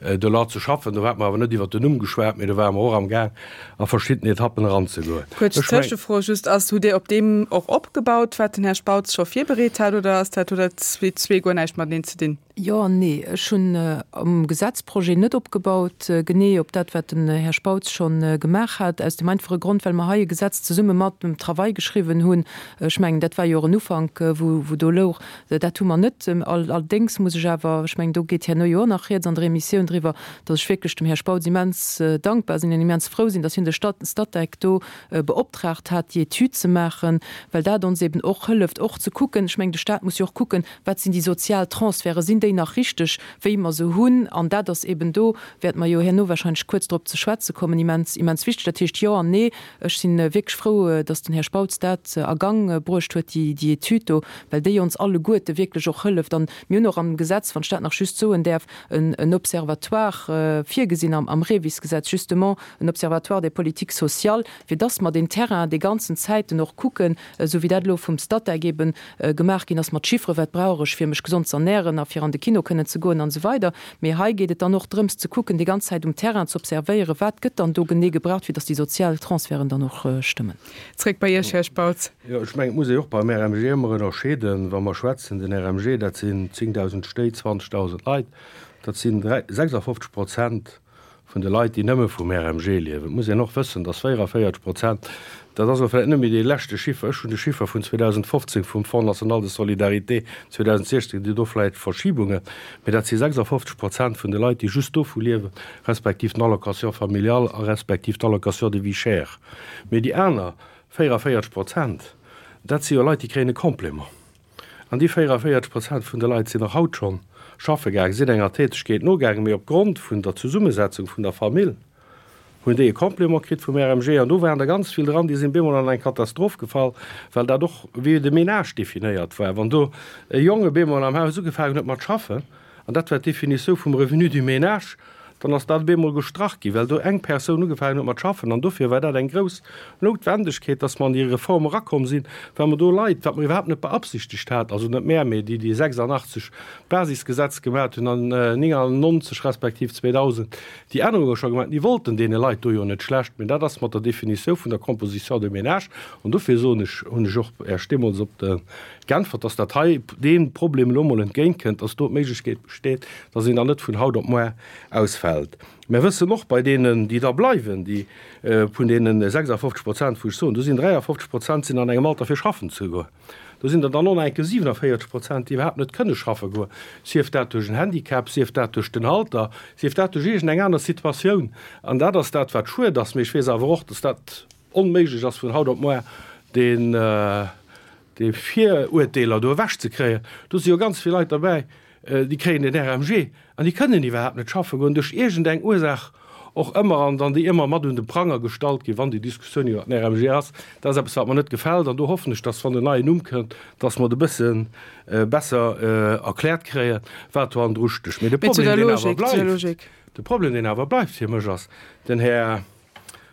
[SPEAKER 4] de loi ze schaffen. Do hate mer awer net iwwert den Numm geschwat, mee do ware mer och amgaang, a verschidden Etappen eranzegoen.
[SPEAKER 2] Kuerz Tëschefro just, Ass, hutt Dir op deem och opgebaut, wat den Här Spautz scho virbereet hat, oder ass dat, huet dat zwee guer näischt mateneen ze dinn?
[SPEAKER 3] Jo an nee. Ech hunn am Gesetzprojet net opgebaut, genee op dat, wat den Här Spautz scho gemaach hat, aus dem einfache Grond, well mer hei e Gesetz zesumme mat dem Travail geschriwwen hunn. Ech mengen, dat war jo och en Ufank, wou, wou do louch. Dat hu mer net. Allerdéngs muss ech awer, ech mengen, do geet herno jo och nach Rieds an der Emissioun driwwer, datt ech wierklech dem Här Spautz immens dankbar sinn an immens frou sinn, datt hien de Statec do beoptraagt hat, déi Etüd ze maachen, well dat ons eben och hëlleft, och ze kucken, ech mengen, de Stat muss jo och kucken, wat sinn déi sozial Transferte, sinn déi nach richteg, wéi mer se hunn? An dat ass eben, do wäerte mer jo herno wahrscheinlech kuerz drop ze schwätze kommen, immens, immens wichteg. Dat heescht, jo an nee. Ech si wierklech frou, datt den Här Spautz dat a Gang bruecht huet, déi, déi Etüd do, well déi ons alleguerte wierklech och hëlleft. An mir hunn och am Gesetz, wann ech dat nach just soen däerf, en, en Observatoire virgesinn am, am REVIS-Gesetz, justement en Observatoire des politiques sociales, fir dass mer den Terrain déi ganzen Zäiten och kucken, esou wéi dat elo vum Statec eben gemaach ginn ass mat Chifferen, wat brauch ech, fir mech gesond ze ernähren a fir an de Kino kënnen ze goen an esou weider. Mee hei geet et dann och drëms ze kucken, déi ganz Zäit um Terrain ze observéieren, wat gëtt dann do genee gebraucht, fir dass déi sozial Transferten dann och stëmmen.
[SPEAKER 2] Zréck bei Iech, Här Spautz.
[SPEAKER 4] Jo, ech mengen, et muss ee och beim R M G ëmmer ënnerscheeden, wa mer schwätzen, den R M G, dat sinn zéngdausend Stéit, zwanzegdausend Leit, dat sinn sechsafofzeg Prozent vun de Leit, déi nëmme vum R M G liewen. Et muss een och wëssen, dass véierunvéierzeg Prozent, dat ass elo vläicht net méi dee leschte Chiffer, ech hunn de Chiffer vun zweedausendfofzéng vum Fonds national de solidarité, zweedausendsiechzéng si do vläicht Verschibungen, mee dat si sechsafofzeg Prozent vun de Leit, déi just dovu liewen, respektiv den Allocation familiale a respektiv d'Allocation de vie chère. Mee déi aner véierunvéierzeg Prozent, dat si jo Leit, déi kréien e Complément. An déi véierunvéierzeg Prozent vun de Leit sinn och haut schonn schaffe gaangen, sinn enger Tätegkeet nogaangen, mee opgrond vun der Zesummesetzung vun der Famill hunn déi e Complément kritt vum R M G. An do waren der ganz vill dran, déi sinn bemol an eng Katastroph gefall, well dat och wéi de Ménage definéiert war. Wann do e Jong bemol am Haus ugefaangen huet mat schaffen, an dat war d'Definitioun vum Revenu du ménage, dann ass dat bemol gestrach ginn, well do eng Persoun ugefaangen huet mat schaffen. An dofir war dat eng grouss Noutwendegkeet, dass mer an déi Reform erakomm sinn, well mer do Leit, wat mer iwwerhaapt net beabsichtegt haten, also net mär, mee déi, déi sechsandachtzeg d'Basisgesetz gemat hunn an néngannonzeg respektiv zweedausend déi Ännerunge scho gemaat hunn, déi wollten deene Leit do jo net schlecht, mee dat ass mat der Definitioun vun der Composition de ménage. An dofir soen ech, hunn ech och Iech deemools op de geäntwert, dass dat hei deem Problem elo mol entgéintkënnt, dass do d'Méiglechkeet besteet, dass een dann net vun haut op muer ausfält. Mir wëssen och bei deenen, déi da bleiwen, déi vun deene sechsafofzeg Prozent, wou ech soen, do sinn dräiafofzeg Prozent sinn an engem Alter fir schaffen ze goen. Do sinn der dann och nach enke siwenavéierzeg Prozent, déi iwwerhaapt net kënne schaffe goen, sief dat duerch en Handicap, sief dat duerch den Alter, sief dat duerch iergendeng aner Situatioun. An dat ass dat, wat schued ass. Mee ech weess awer och, dass dat onméiglech ass vun haut op muer deen, déi Viruerteeler do ewechzekréien. Do si jo ganz vill Leit derbäi, déi kréien den R M G an déi kënnen iwwerhaapt net schaffe goen, duerch iergendeng Ursaach och ëmmer, an dann déi ëmmer mat un de Pranger gestallt ginn, wann déi Diskussioun iwwer den R M G ass. Dat ass eppes, wat mer net gefält, an do hoffen ech, dass, wann en neien Numm kënnt, dass mer et e bësse besser erkläert kréien, wat do hannendru stécht. Mee de Problem, deen awer bleift, de Problem, deen awer bleift fir mech, ass, den Här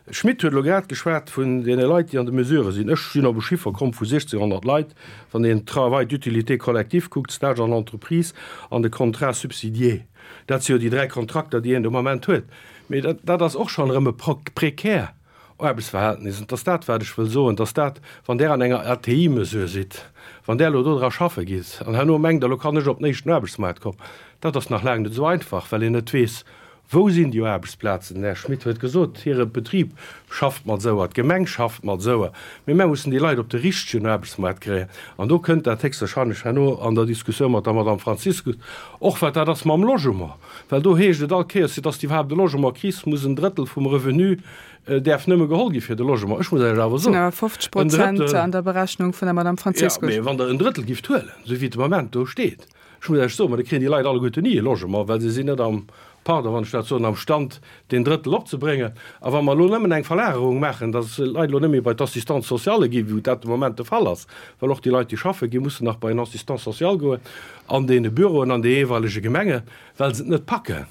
[SPEAKER 4] Schmit huet elo grad geschwat vun deene Leit, déi an de Mesurë sinn. Ech sinn op e Chiffer komm vu siechzehnhonnert Leit, wann een Travail d'utilité collective kuckt, Stage en entreprise an de Contrat subsidié. Dat si jo déi dräi Kontrakter, déi een de Moment huet. Mee dat, dat ass och schonn erëm e prekär Aarbechtsverhältnis. An 't ass dat, wat ech wëll soen, dass dat, wann Der an enger A T I-Mesure sidd, wann Der elo do dra schaffe gitt an herno mengt Der, elo kann ech op den éischten Aarbechtsmaart kommen, dat ass nach laang net esou einfach, well een net weess, wou sinn déi Aarbechtsplazen. Den Här Schmit huet gesot, hire Betrib schafft mat esouer, d'Gemeng schafft mat esouer, mee mär mussen déi Leit op de richtegen Aarbechtsmaart kréien. An do kënnt dat héchstwahrscheinlech herno an der Diskussioun mat der Madame Franziskus och, wat dat ass mam Logement, well do heescht et all Kéiers, fir dass de iwwerhaapt e Logement kriss, muss en Drëttel vum Revenu däerf nëmme geholl gi fir de Logement. Ech muss Iech awer soen,
[SPEAKER 2] en Drëttel, an der Berechnung vun der Madame Franziskus.
[SPEAKER 4] Jo, mee wann Der en Drëttel gifft huelen, esou wéi et de Moment do steet, ech muss Iech soen, ma da kréien déi Leit alleguerten ni e Logement, well se sinn net am, pardon, wann ech dat soen, am Stand, deen Drëttel opzebréngen. A wa mer elo nëmmen eng Verlagerung maachen, dass d'Leit elo net méi bei d'Assistante sociale ginn, wou dat de Moment de Fall ass, well och déi Leit, déi schaffe ginn, mussen nach bei en Assistant social goen an deene Büroen an de jeeweilege Gemengen, well se et net packen,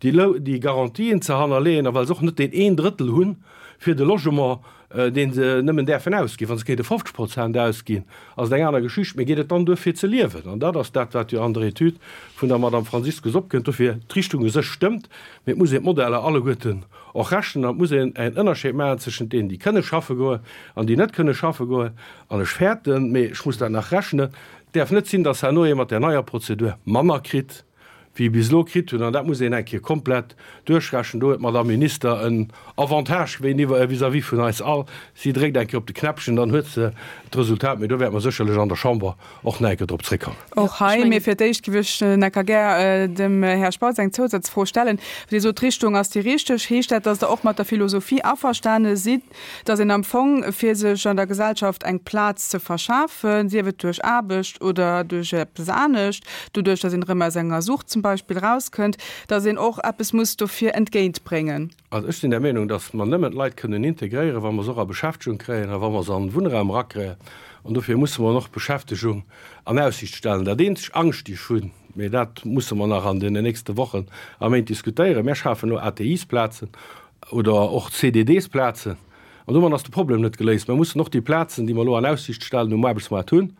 [SPEAKER 4] déi déi Garantien ze hannerleeën a well se och net deen een Drëttel hunn fir de Logement, dee se nëmmen däerfen ausginn. Wa se kéinte fofzeg Prozent ausginn, ass et eng aner Geschicht, mee geet et dann duer fir ze liewen? An dat ass dat, wat jo an der Etüd vun der Madame Franziskus opkënnt. Dofir, d'Richtung u sech stëmmt, mee et muss een d'Modeller alleguerten och rechnen an et muss een en Ënnerscheed maachen zwëschent deenen, déi kënne schaffe goen an déi net kënne schaffe goen. An ech fäerten, mee ech muss dat nach rechnen, et däerf net sinn, dass herno ee mat där neier Prozedur manner kritt wéi bis elo kritt hunn. An dat muss een eng Kéier komplett duerchrechnen. Do huet d'Madame Minister en Avantage vis-à-vis vun eis all, Si dréckt eng Kéier op de Knäppchen, dann huet se d'Resultat. Mee do wäerte mer sécherlech an der Chamber och nach eng Kéier drop zréckkommen.
[SPEAKER 2] Och hei, mee fir d'éischt géif ech nach gär dem Här Spautz eng Zousazfro stellen. Dir sot, d'Richtung ass déi richteg. Heescht dat, dass Der och mat der Philosophie averstane sidd, dass een am Fong, fir sech an der Gesellschaft eng Plaz ze verschafen, sief et duerch Aarbecht oder duerch eppes anescht, doduerch, dass een erëm aus enger Sucht zum Beispill erauskënnt, dass een och eppes muss dofir entgéintbréngen?
[SPEAKER 4] Also ech sinn der Meenung, dass mer nëmmen d'Leit kënnen integréieren, wa mer se och a Beschäftegung kréien a wa mer se an den Wunnraum erakréien. An dofir musse mer och Beschäftegung an Aussiicht stellen. Dat eenzeg Angscht, déi ech hunn, mee dat musse mer nach an deenen nächste Wochen a Méint diskutéieren, Mär schafen elo A T Is-Plazen oder och C D Ds-Plazen, an domat ass de Problem net geléist. Mer mussen och déi Plazen, déi mer elo an Aussiicht stellen, um Aarbechtsmaart hunn.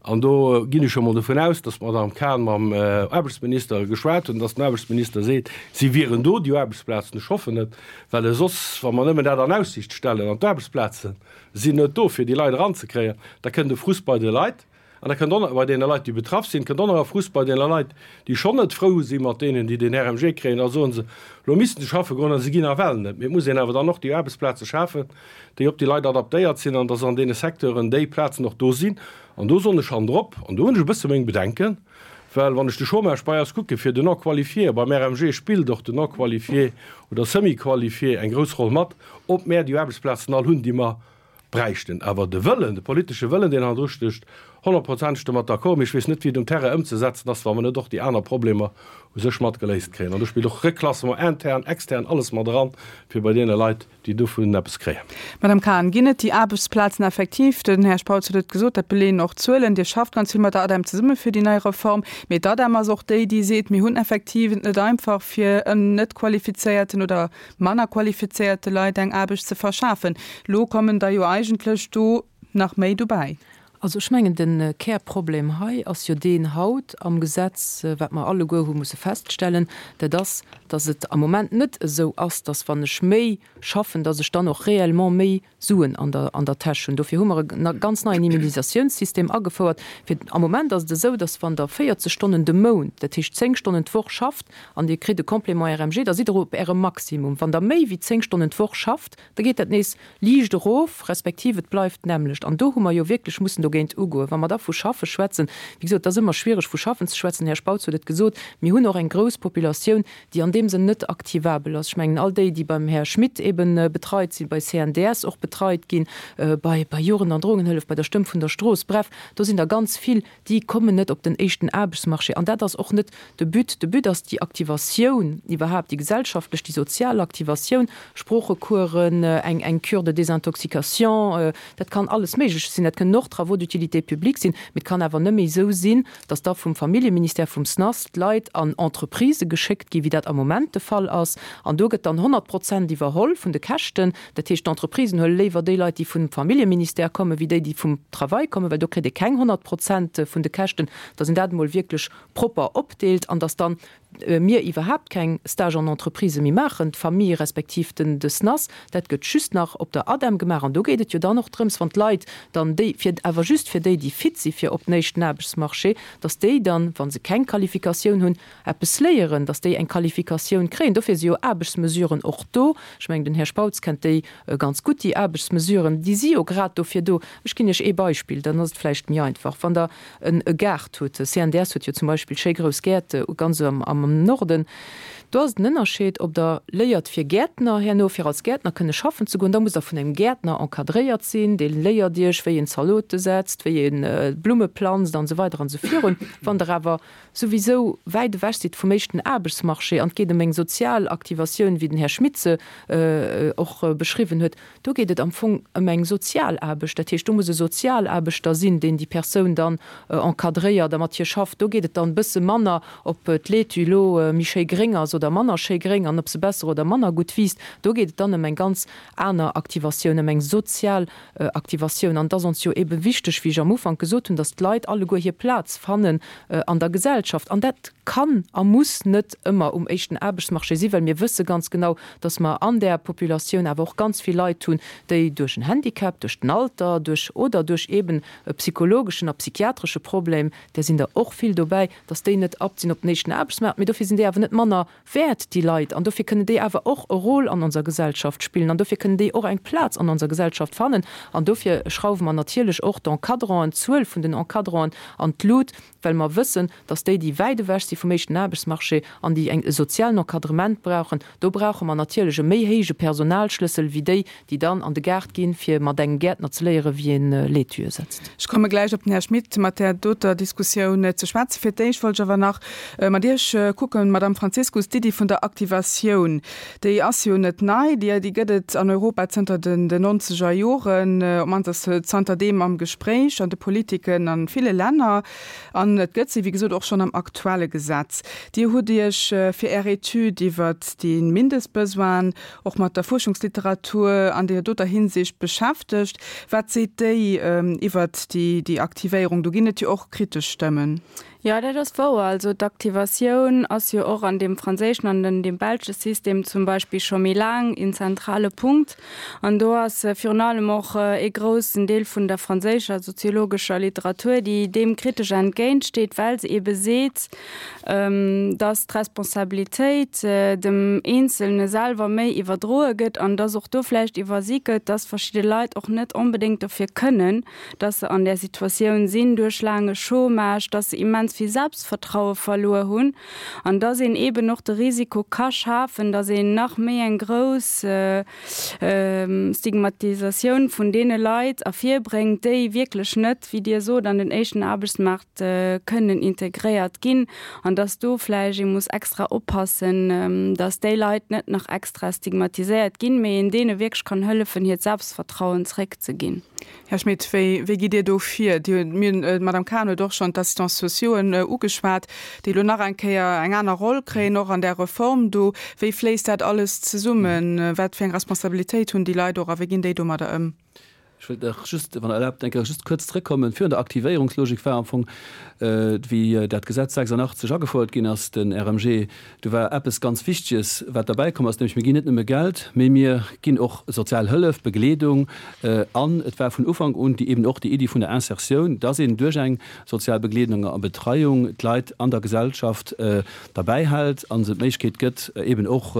[SPEAKER 4] An do ginn ech jo emol dovun aus, datt d'Madame Cahen mam Aarbechtsminister geschwat huet an datt den Aarbechtsminister seet, si wieren do, déi Aarbechtsplazen. Ech hoffen et, well soss, wa mer nëmmen dat an Aussiicht stellen an d'Aarbechtsplaze sinn net do, fir déi Leit eranzekréien, da kënnt e Frust bei de Leit an da kënnt och nach bei deene Leit, déi betraff sinn, kënnt och nach e Frust bei deene Leit, déi schonn net frou si mat deenen, déi den R M G kréien. Da soe se, elo missten se schaffe goen a se ginn nawell net. Mee et muss een awer dann och déi Aarbechtsplaze schafen, déi op déi Leit adaptéiert sinn an datt an deene Secteuren déi Plazen och do sinn. An do soen ech han drop, an do hunn ech e bësse meng Bedenken, well wann ech de Chômage bei eis kucke fir den Non-qualifié, beim R M G spillt och den Non-qualifié oder Semi-qualifié eng grouss Roll mat, ob mär déi Aarbechtsplazen all hunn, déi mer bräichten. Awer de Wëllen, de politesche Wëllen, deen hannendru stécht, honnertprozenteg domat d'accord, mee ech weess net, wéi et um Terrain ëmzesetzen ass, wa mer net och déi aner Problemer u sech mat geléist kréien. An do spillt och Reklassement intern, extern, alles mat eran, fir bei deene Leit, déi dovun eppes kréien.
[SPEAKER 2] Madame Cahen, ginn et déi Aarbechtsplazen effektiv? Den Här Spautz huet et gesot, dat beleeën och d'Zuelen. Dir schafft ganz vill mat der ADEM zesumme fir déi nei Reform. Mee d'ADEM ass och déi, déi seet, mir hunn effektiv et net einfach, fir en net qualifizéierten oder manner qualifizéierte Leit eng Aarbecht ze verschafen. Lo kommen da jo eigentlech do nach méi dobäi.
[SPEAKER 3] Also ech mengen, den Kärproblem hei ass jo deen haut am Gesetz, wat mer alleguer hu musse feststellen, dat ass, dass et am Moment net esou ass, dass wann ech méi schaffen, dass ech dann och réellement méi Suen an der, an der Täsch hunn. Dofir hu mer e ganz neien Immunisatiounssystem agefouert. Fir, am Moment ass et esou, dass wann der véierzeg Stonnen de Mount, dat heescht zéng Stonnen d'Woch schafft an Dir kritt e Complément R M G, da sidd Der op Ärem Maximum. Wann der méi wéi zéng Stonnen d'Woch schafft, da geet dat nees liicht erof, respektiv et bleift d'nämmlecht. An do hu mer jo wierklech mussen dogéint ugoen. Wa mer da vu Schaffe schwätzen, wéi gesot, dat ass ëmmer schwiereg vu Schaffen ze schwätzen, Här Spautz huet et gesot, mir hunn och eng grouss Populatioun, déi an deem Sënn net aktivabel ass. Ech mengen, all déi, déi beim Här Schmit eben betreit sinn, bei C N D S och betreit ginn, bei, bei Jugend- an Drogenhëllef, bei der Stëmm vun der Strooss, bref, do sinn der ganz vill, déi kommen net op den éischten Aarbechtsmarché. An dat ass och net de But. De But ass déi Aktivatioun iwwerhaapt, déi gesellschaftlech, déi sozial Aktivatioun, Sproochecoursen, eng, eng Cure de désintoxication, dat kann alles Méigleches sinn, dat kënnen och Travaux d'utilité publique sinn, mee et kann awer net méi esou sinn, dass da vum Familljeministère, vum S N A S d'Leit an Entreprisë geschéckt ginn, wéi dat am Moment de Fall ass. An do gëtt dann honnert Prozent iwwerholl vun de Käschten. Dat heescht, d'Entreprisen huele léiwer déi Leit, déi vum Familljeministère kommen, wéi déi, déi vum Travail kommen, well do kritt ee keng honnert Prozent vun de Käschten, dass een dat emol wierklech propper opdeelt an dass dann mir iwwerhaapt keng Stage en Entreprise méi maachen, d'Famille respektiv den, de S N A S, dat gëtt just nach op der ADEM gemaach. An do geet et jo dann och drëms, wann d'Leit dann déi, fir, awer just fir déi, déi fit si fir op den éischten Aarbechtsmarché, dass déi dann, wann se keng Qualifikatioun hunn, eppes léieren, dass déi eng Qualifikatioun kréien. Dofir si jo Aarbechtsmesuren och do. Ech mengen, den Här Spautz kennt déi ganz gutt, déi Aarbechtsmesuren, déi si jo grad dofir do. Ech ginn Iech ee Beispill, dann ass et vläicht méi einfach. Wann der en e Gaart hutt, C N D S huet jo zum Beispill schéi grouss Gäert ganz am, am Norden, do ass den Ënnerscheed, ob der léiert fir Gärtner herno, fir als Gärtner kënne schaffen ze goen, da muss der vun engem Gärtner encadréiert sinn, dee léiert Iech, wéi een Zalote setzt, wéi een Blumme planzt an esou weider an esou virun. Wann der awer souwisou wäit ewech sidd vum éischten Aarbechtsmarché an et geet ëm eng sozial Aktivatioun, wéi den Här Schmit se och beschriwwen huet, do geet et am Fong ëm eng Sozialaarbecht. Dat heescht, do muss e Sozialaarbechter sinn, deen déi Persoun dann encadréiert a mat hir schafft. Do geet et dann e bësse manner, ob d'Laitue elo méi schéi gréng ass oder manner schéi gréng an ob se besser oder manner gutt wiisst. Do geet et dann ëm eng ganz aner Aktivatioun, ëm eng sozial Aktivatioun. An et ass ons jo ebe wichteg, wéi ech am Ufank gesot hunn, dass d'Leit alleguer hir Plaz fannen an der Gesellschaft. An dat kann a muss net ëmmer um éischten Aarbechtsmarché sinn, well mir wësse ganz genau, dass mer an där Populatioun awer och ganz vill Leit hunn, déi duerch en Handicap, duerch den Alter, duerch oder duerch eben e psychologeschen a psychiatresche Problem, där sinn der och vill dobäi, dass déi net apt sinn op den éischten Aarbechtsmaart. Mee dofir sinn déi awer net manner wäert, déi Leit, an dofir kënnen déi awer och e Rôle an onser Gesellschaft spillen an dofir kënnen déi och eng Plaz an onser Gesellschaft fannen. An dofir schrauwe mer natierlech och d'Encadranten, d'Zuel vun den Encadranten an d'Lut, well mer wëssen, dass déi, déi wäit ewech si vum éischten Aarbechtsmarché an déi eng e sozialen Encadrement brauchen, do brauche mer natierlech e méi héije Personalschlëssel wéi déi, déi dann an de Gaart ginn, fir mat engem Gäertner ze léieren, wéi een Laitue setzt.
[SPEAKER 2] Ech komme gläich op den Här Schmit mat där doter Diskussioun ze schwätzen. Fir d'éischt wollt ech awer nach mat Iech kucken, Madamm Franziskus, d'Iddi vun der Aktivatioun, déi ass jo net nei, déi gëtt et an Europa zënter den nonzeger Joren, op d'mannst ass se zanterdeem am Gespréich an de Politiken a ville Länner. An et gëtt se, wéi gesot, och schonn am aktuelle Gesetz. Dir hutt Iech fir Är Etüd iwwert déi Mindestbesoinen och mat der Fuerschungsliteratur an deer doter Hinsicht beschäftegt. Wat seet déi iwwert déi Aktivéierung? Do ginn et jo och kritesch Stëmmen.
[SPEAKER 6] Jo, dat ass wouer. Also d'Aktivatioun ass jo och an deem franséischen an an deem belsche System zum Beispill scho méi laang een zentrale Punkt. An do ass virun allem och ee groussen Deel vun der franséischer soziologescher Literatur, déi deem kritesch entgéintsteet, well se eebe seet, dass d'Responsabilitéit dem Eenzelne selwer méi iwwerdroe gëtt an dass och do vläicht iwwersi gëtt, dass verschidde Leit och net onbedéngt dofir kënnen, dass se an där Situatioun sinn duerch laange Chômage, dass se immens vill Selbstvertraue verluer hunn an dass een eeben och de Risiko ka schafen, dass een nach méi eng grouss Stigmatisatioun vun deene Leit ervirbréngt, déi wierklech net, wéi Dir sot, an den éischten Aarbechtsmaart kënnen integréiert ginn an dass do vläicht ee muss extra oppassen, dass déi Leit net nach extra stigmatiséiert ginn, mee een deene wierklech kann hëllefen, hiert Selbstvertrauen zréckzeginn.
[SPEAKER 2] Här Schmit, wéi, wéi gitt Dir do vir? Dir hutt, mir hunn, d'Madame Cahen huet och schonn d'Assistants sociauxen ugeschwat, déi elo nach eng Kéier eng aner Roll kréien, och an där Reform do. Wéi fléisst dat alles zesummen? Wat fir eng Responsabilitéit hunn déi Leit och a wéi ginn déi domadder ëm?
[SPEAKER 5] Ech wëllt nach just, wann Der erlaabt, eng Kéier just kuerz zrëckkommen. Virun der Aktivéierungslogik war am Fong, wéi dat Gesetz sechsundachtzeg agefouert ginn ass, den R M G, do war eppes ganz Wichteges, wat derbäikomm ass, nämlech mir ginn net nëmme Geld, mee mir ginn och sozial Hëllef, Begleedung. An et war vun Ufank un déi eben och déi Iddi vun der Insertioun, dass een duerch eng sozial Begleedung a Betreiung d'Leit an der Gesellschaft derbäihält a se d'Méiglechkeet gëtt, eben och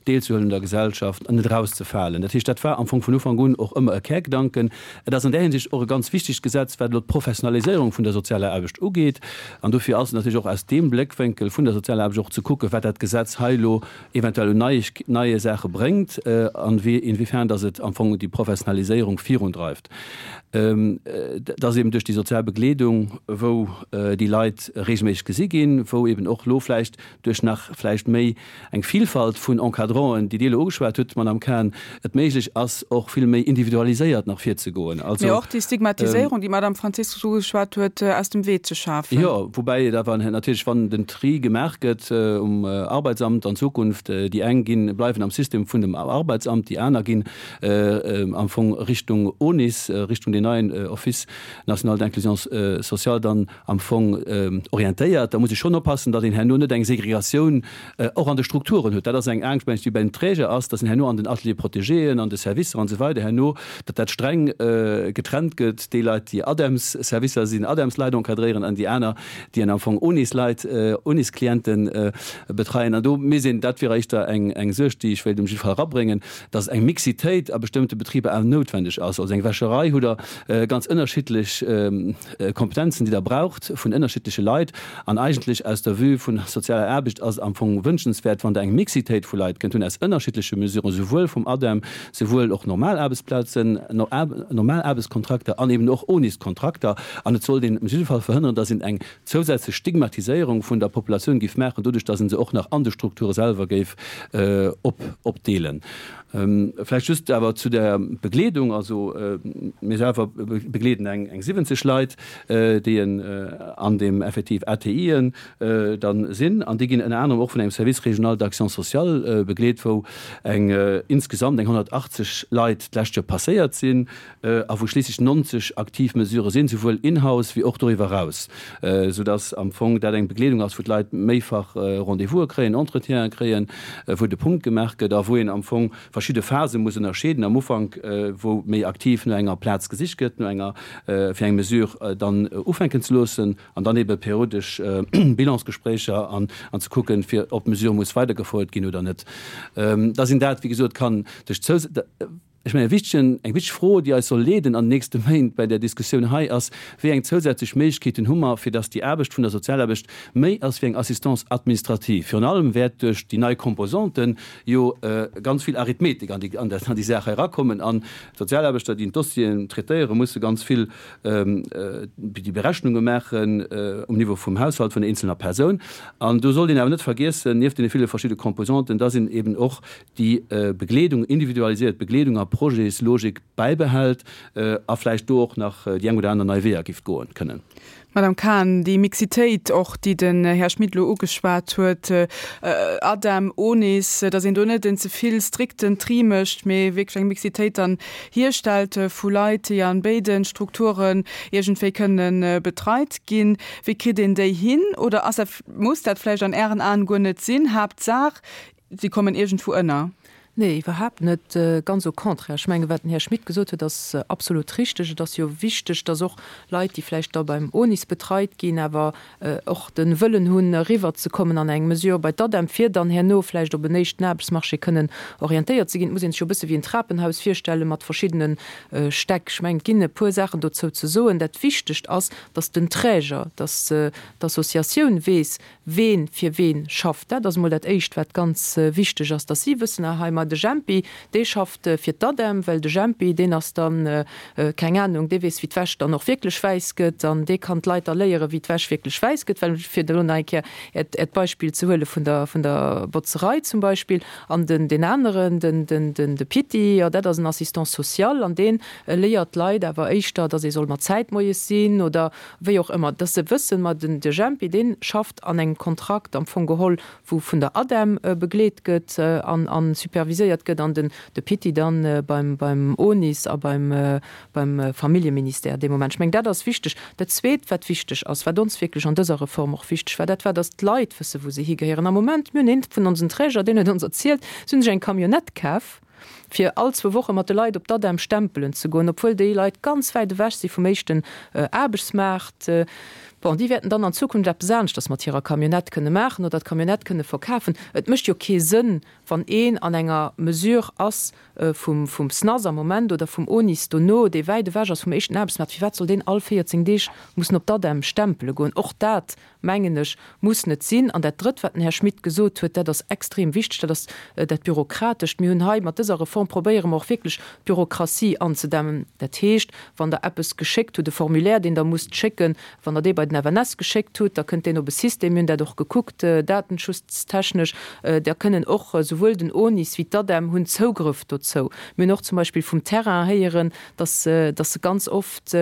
[SPEAKER 5] deelzehuelen un der Gesellschaft an net erauszefalen. Dat heescht, dat war am Fong vun Ufank un och ëmmer e Kärgedanken. Et ass an där Hinsicht och e ganz wichtegt Gesetz, wat elo d'Professionaliséierung vun der sozialer Aarbecht ugeet. An dofir ass et natierlech och aus deem Bléckwénkel vun der sozialer Aarbecht och ze kucken, wat dat Gesetz hei elo eventuell un neie Saache bréngt an inwiefern dass et am Fong déi Professionaliséierung virundreift. Dass eben duerch déi sozial Begleedung, wou déi Leit regelméisseg gesi ginn, wou eben och elo vläicht duerch nach vläicht méi eng Vielfalt vun Encadranten, déi Dir elo ugeschwat hutt, Madame Cahen, et méiglech ass, och vill méi individualiséiert nach virzegoen.
[SPEAKER 2] Also, Mee och déi Stigmatiséierung, déi d'Madame Franziskus ugeschwat huet, aus dem Wee ze schafen.
[SPEAKER 5] Jo, woubäi et awer natierlech, wann den Tri gemaach gëtt um Arbeitsamt an Zukunft, déi eng ginn, bleiwen am System vun dem Arbeitsamt, déi aner ginn am Fong Richtung ONIS, Richtung deen neien Office national d'inclusion sociale dann am Fong orientéiert. Da muss ee schonn oppassen, datt een herno net eng Segregatioun och an de Strukturen huet. Dat ass eng Angscht, mengen ech, déi bei den Träger ass, datt een herno an den Ateliers protégéen, an de Servicer an esou weider herno, datt dat streng getrennt gëtt, déi Leit, déi ADEMS-Servicer sinn, ADEMS-Leit encadréieren an déi aner, déi an am Fong ONIS-Leit, ONIS-Clienten betreien. An do misst een, dat wier éischter eng eng Suerg, déi ech wéilt um jidde Fall erabréngen, datt eng Mixitéit a bestëmmte Betriber awer noutwendeg ass. Also eng Wäscherei hutt Der ganz ënnerschiddlech Kompetenzen, déi Der braucht vun ënnerschiddleche Leit. An eigentlech aus der Vue vun sozialer Aarbecht ass et am Fong wënschenswäert, wann Der eng Mixitéit vu Leit kënnt hunn aus ënnerschiddleche Mesuren, souwuel vum ADEM, souwuel och normal Aarbechtsplazen, normal Aarbechtskontrakter an eben och ONIS-Kontrakter. An et sollt een um jidde Fall verhënneren, dass een eng zousätzlech Stigmatiséierung vun der Populatioun géif maachen, doduerch dass een se och nach an de Strukture selwer géif opdeelen. Vläicht just awer zu der Begleedung. Also mir selwer awer begleeden eng eng siwwenzeg Leit, déi an deem effektiv ATIen dann sinn. An déi ginn ënner anerem och vun engem Service régional d'action sociale begleet, wou eng insgesamt eng honnertachtzeg Leit d'lescht Joer passéiert sinn a wou schliisslech neunzeg aktiv Mesurë sinn, souwuel in-house wéi och doriwwer eraus, soudass am Fong dat eng Begleedung ass, wou d'Leit méifach Rendez-vouse kréien, Entretiene kréien, wou de Punkt gemaach gëtt a wou een am Fong verschidde Phase muss ënnerscheeden, am Ufank, wou méi aktiv no enger Plaz gesicht gëtt, no enger, fir eng Mesure dann ufänken ze loossen, an dann ebe periodesch Bilansgespréicher an ze kucken, fir ob d'Mesure muss weidergefouert ginn oder net. Da sinn dat, wéi gesot, kann duerch d'Zous. Ech mengen, e wichtegen, eng wichteg Fro, déi eis soll leeden an den nächste Méint bei där Diskussioun hei, ass, Wéi eng zousätzlech Méiglechkeeten hu mer, fir dass déi Aarbecht vun der Sozialaarbecht méi ass wéi eng Assistance administrative? Virun allem wäert duerch déi nei Composanten jo ganz vill Arithmetik an déi, an déi Saach hei erakommen an d'Sozialaarbechter, déi d'Dossieren traitéieren, musse ganz vill déi Berechnunge maachen um Niveau vum Haushalt vun der eenzelner Persoun. An do sollt een awer net vergiessen, nieft deene ville verschidde Composanten, dass een eben och déi Begleedung, individualiséiert Begleedung a Projetslogik bäibehält a vläicht do och nach déi eng oder aner nei Weeër giff goen kënnen.
[SPEAKER 2] Madame Cahen, déi Mixitéit och, déi den Här Schmit elo ugeschwat huet, ADEM, ONIS, datt een do net en ze vill strikten Tri mécht, mee wierklech eng Mixitéit dann hierstellt vu Leit, déi an béide Strukturen iergendwéi kënnen betreit ginn. Wéi kritt een déi hin? Oder ass dat, muss dat vläicht an Ären Aen guer net sinn? Haaptsaach, si kommen iergendwou ënner.
[SPEAKER 3] Nee, iwwerhaapt net, ganz au contraire. Ech mengen, wat den Här Schmit gesot huet, ass absolut richteg. Et ass jo wichteg, dass och Leit, déi vläicht da beim ONIS betreit ginn, awer och de Wëllen hunn, eriwwerzekommen an eng Mesure bei d'ADEM, fir dann herno vläicht op en éischten Aarbechtsmarché kënnen orientéiert ze ginn. Et muss een sech jo e bësse wéi en Trapenhaus virstelle mat verschiddene Stäck. Ech mengen, et ginn e puer Saachen dozou ze soen. Dat Wichtegst ass, dass den Träger, dass d'Associatioun weess, ween fir ween schafft. Dat ass emol dat Éischt, wat ganz wichteg ass, dass si wëssen, ah hei, ma de Jempi, dee schafft fir d'ADEM, well de Jempi, deen ass dann, keng Anung, dee weess, wéi d'Wäsch dann och wierklech wäiss gëtt an dee kann d'Leit da léieren, wéi d'Wäsch wierklech wäiss gëtt, well, fir elo nach eng Kéier Äert, Äert Beispill ze huele vun der, vun der Botzerei zum Beispill. An den, deen aneren, den, den, den, de Pitti, jo, dat ass en Assistant social an dee léiert d'Leit awer éischter, dass ee soll mat Zäit moies sinn oder wéi och ëmmer, dass se wëssen, ma den, de Jempi, dee schafft an engem Kontrakt am Fong geholl, wou vun der ADEM begleet gëtt an a superviséiert gëtt, an den de Pitti dann beim beim ONIS a beim beim Familljeministère dee Moment. Ech mengen, dat ass wichteg. Dat Zweet, wat wichteg ass, wat ons wierklech an dëser Reform och wichteg war, dat war, dass d'Leit wësse wou se higehéieren. Am Moment, mir hunn eent vun onsen Träger, deen huet ons erzielt, si hunn sech eng Camionnette kaf, fir all zwou Woche mat de Leit op d'ADEM stempelen ze goen, obwuel déi Leit ganz wäit ewech si vum éischten Aarbechtsmaart. Bon, déi wäerten dann an Zukunft eppes aneschters mat hirer Camionnette kënne maachen oder d'Camionnette kënne verkafen. Et mécht jo kee Sënn, wann een an enger Mesure ass vum vum SNAS am Moment oder vum ONIS dono, dee wäit ewech ass vum éischten Aarbechtsmaart, firwat soll deen all véierzéng Deeg mussen op d'ADEM stempele goen? Och dat, mengen ech, muss net sinn. An dat Drëtt, wat den Här Schmit gesot huet, dat ass extrem wichteg, dat ass dat Bürokratescht. Mir hunn hei mat dëser Reform, probéiere mer och wierklech d'Bürokratie anzedämmen. Dat heescht, wann Der eppes geschéckt hutt, e Formulaire, deen Der musst schécken, wann Der dee bei den F N S geschéckt hutt, da kënnt deen op e System, mir hunn dat och gekuckt, datenschutztechnesch, da kënnen och souwuel den ONIS wéi d'ADEM hunn Zougrëff dozou. Mir hunn och zum Beispill vum Terrain héieren, dass dass se ganz oft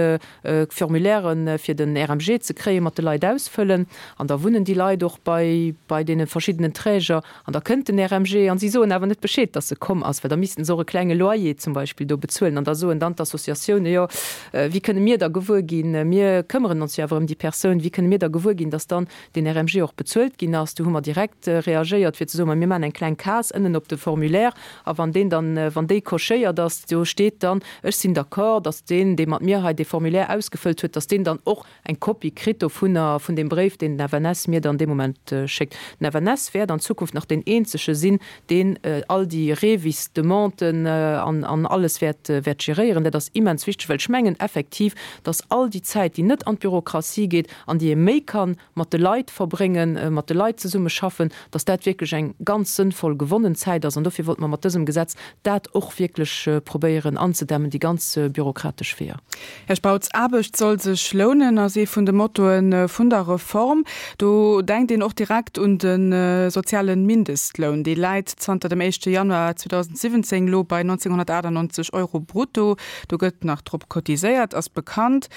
[SPEAKER 3] Formulairen, fir den R M G ze kréien, mat de Leit ausfëllen an da wunnen déi Leit och bei bei deene verschiddenen Träger an da kënnt den R M G an si soen awer net Bescheed, dass e komm ass, well da missten se och e klenge Loyer zum Beispill do bezuelen an da soen dann d'Associatioune, jo, wéi kënne mir da gewuer ginn, mir këmmeren ons jo awer ëm déi Persoun, wéi kënne mir da gewuer ginn, dass dann deen R M G och bezuelt ginn ass? Do hu mer direkt reagéiert, fir ze soen, ma mir maachen eng kleng Case ënnen op de Formulaire a wann deen dann, wann déi cochéiert ass, do steet dann, ech sinn d'accord, dass deen, dee mat mir hei dee Formulaire ausgefëllt huet, dass deen dann och eng Kopie kritt dovunner, vun deem Bréif, deen den F N S mir dann dee Moment schéckt. Den F N S wäert an Zukunft nach deen eenzege sinn, deen all déi REVIS-Demanden an, an alles wäert, wäert geréieren. Dat ass immens wichteg, well ech mengen effektiv, dass all déi Zäit, déi net an d'Bürokratie geet an déi ee méi ka mat de Leit verbréngen, mat de Leit zesummeschaffen, dass dat wierklech eng ganz sënnvoll gewonnen Zäit ass. An dofir wollte mer mat dësem Gesetz dat och wierklech probéieren anzedämmen, déi ganz bürokratesch Weeër.
[SPEAKER 2] Här Spautz, Aarbecht soll sech lounen ass ee vun de Mottoe vun der Reform. Do denkt een och direkt un de soziale Mindestloun. Dee läit zanter dem éischte Januar zweedausendsiwwenzéng Wunneng elo bei nonzénghonnertachtannonzeg Euro brutto. Do gëtt nach drop cotiséiert, ass bekannt.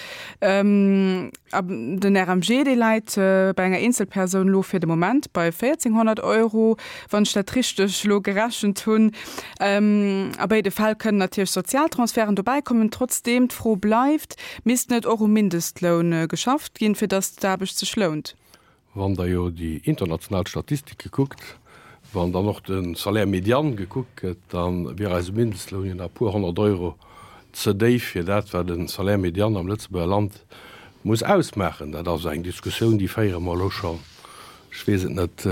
[SPEAKER 2] Den R M G, dee läit bei enger Eenzelpersoun elo fir de Moment bei véierzénghonnert Euro, wann ech dat richteg elo gerechent hunn. A béide Fäll kënnen natierlech Sozialtransferten dobäi kommen. Trotzdeem, d'Fro bleift, Misst net och um Mindestloun geschafft ginn, fir datt d'Aarbecht sech lount?
[SPEAKER 4] Wann Der jo déi international Statistike kuckt, wann dann och de Salaire médian gekuckt gëtt, da wier eise Mindestloun jo nach e puer honnert Euro ze déif fir dat, wat e Salaire médian am Lëtzebuerger Land muss ausmaachen. Dat ass eng Diskussioun, déi féiere mer elo schonn, ech weess et net,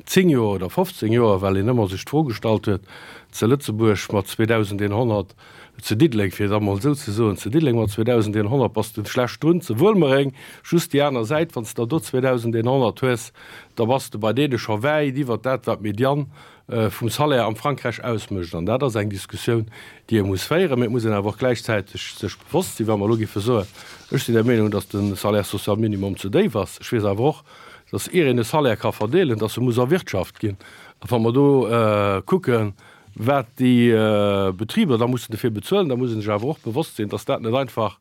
[SPEAKER 4] zéng Joer oder fofzéng Joer, well een ëmmer sech d'Fro gestallt huet, zu Lëtzebuerg mat zweedausendeenhonnert, zu Diddeleng, fir et emol esou ze soen, zu Diddeleng mat zweedausendeenhonnert bass de schlecht drun, zu Wuelmereng, just déi aner Säit, wann s de der do zweedausendeenhonnert hues, da bass de bei deene scho wäit iwwert dat, wat d'Median vum Salaire am Frankräich ausmécht. An dat ass eng Diskussioun, déi ee muss féieren. Mee et muss een awer och gläichzäiteg sech bewosst sinn, wa mer elo géife soen, ech sinn der Meenung, datt de Salaire social minimum ze déif ass, ech weess awer och, datt ier een e Salaire ka verdeelen, datt e muss erwirtschaft ginn. A wa mer do kucken, wat déi Betriber da mussen dofir bezuelen, da muss ee sech awer och bewosst sinn, datt dat net einfach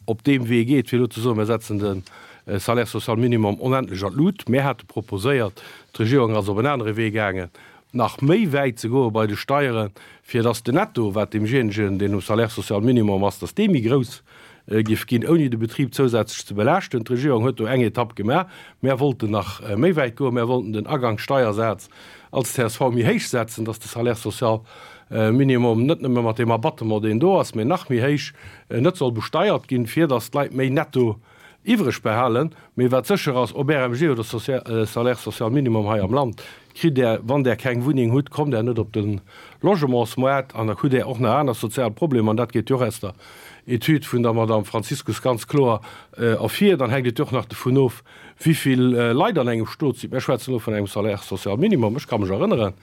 [SPEAKER 4] op deem Wee geet, fir elo ze soen, mir setzen de Salaire social minimum onendlech an d'Lut. Mir hate proposéiert, d'Regierung ass op en anere Wee gaangen, nach méi wäit ze goe bei de Steieren, fir datt den Netto, wat deemjéinegen, deen um Salaire social minimum ass, datt dee méi grouss géif ginn, ouni de Betrib zousätzlech ze belaaschten. D'Regierung huet do eng Etapp gemaach. Mär wollten nach méi wäit goen. Mär wollten den Agangssteiersaz als C S V méi héich setzen, datt de Salaire social minimum net nëmme mat deem Abattement, deen do ass, mä nach méi héich net soll besteiert ginn, fir datt d'Leit méi Netto iwwreg behalen. Mee wat sécher ass, ob R M G oder Salaire social minimum hei am Land, kritt Der, wann Der keng Wunneng hutt, kommt Der net op de Logementsmoart an da hutt Der och nach aner sozial Problemer. An dat geet jo och aus der Etüd vun der Madame Franziskus ganz kloer ervir. Dann hänkt et jo och nach dovun of, wéi vill Leit an engem Stot sinn. Mir schwätzen elo vun engem Salaire social minimum. Ech ka mech erënneren,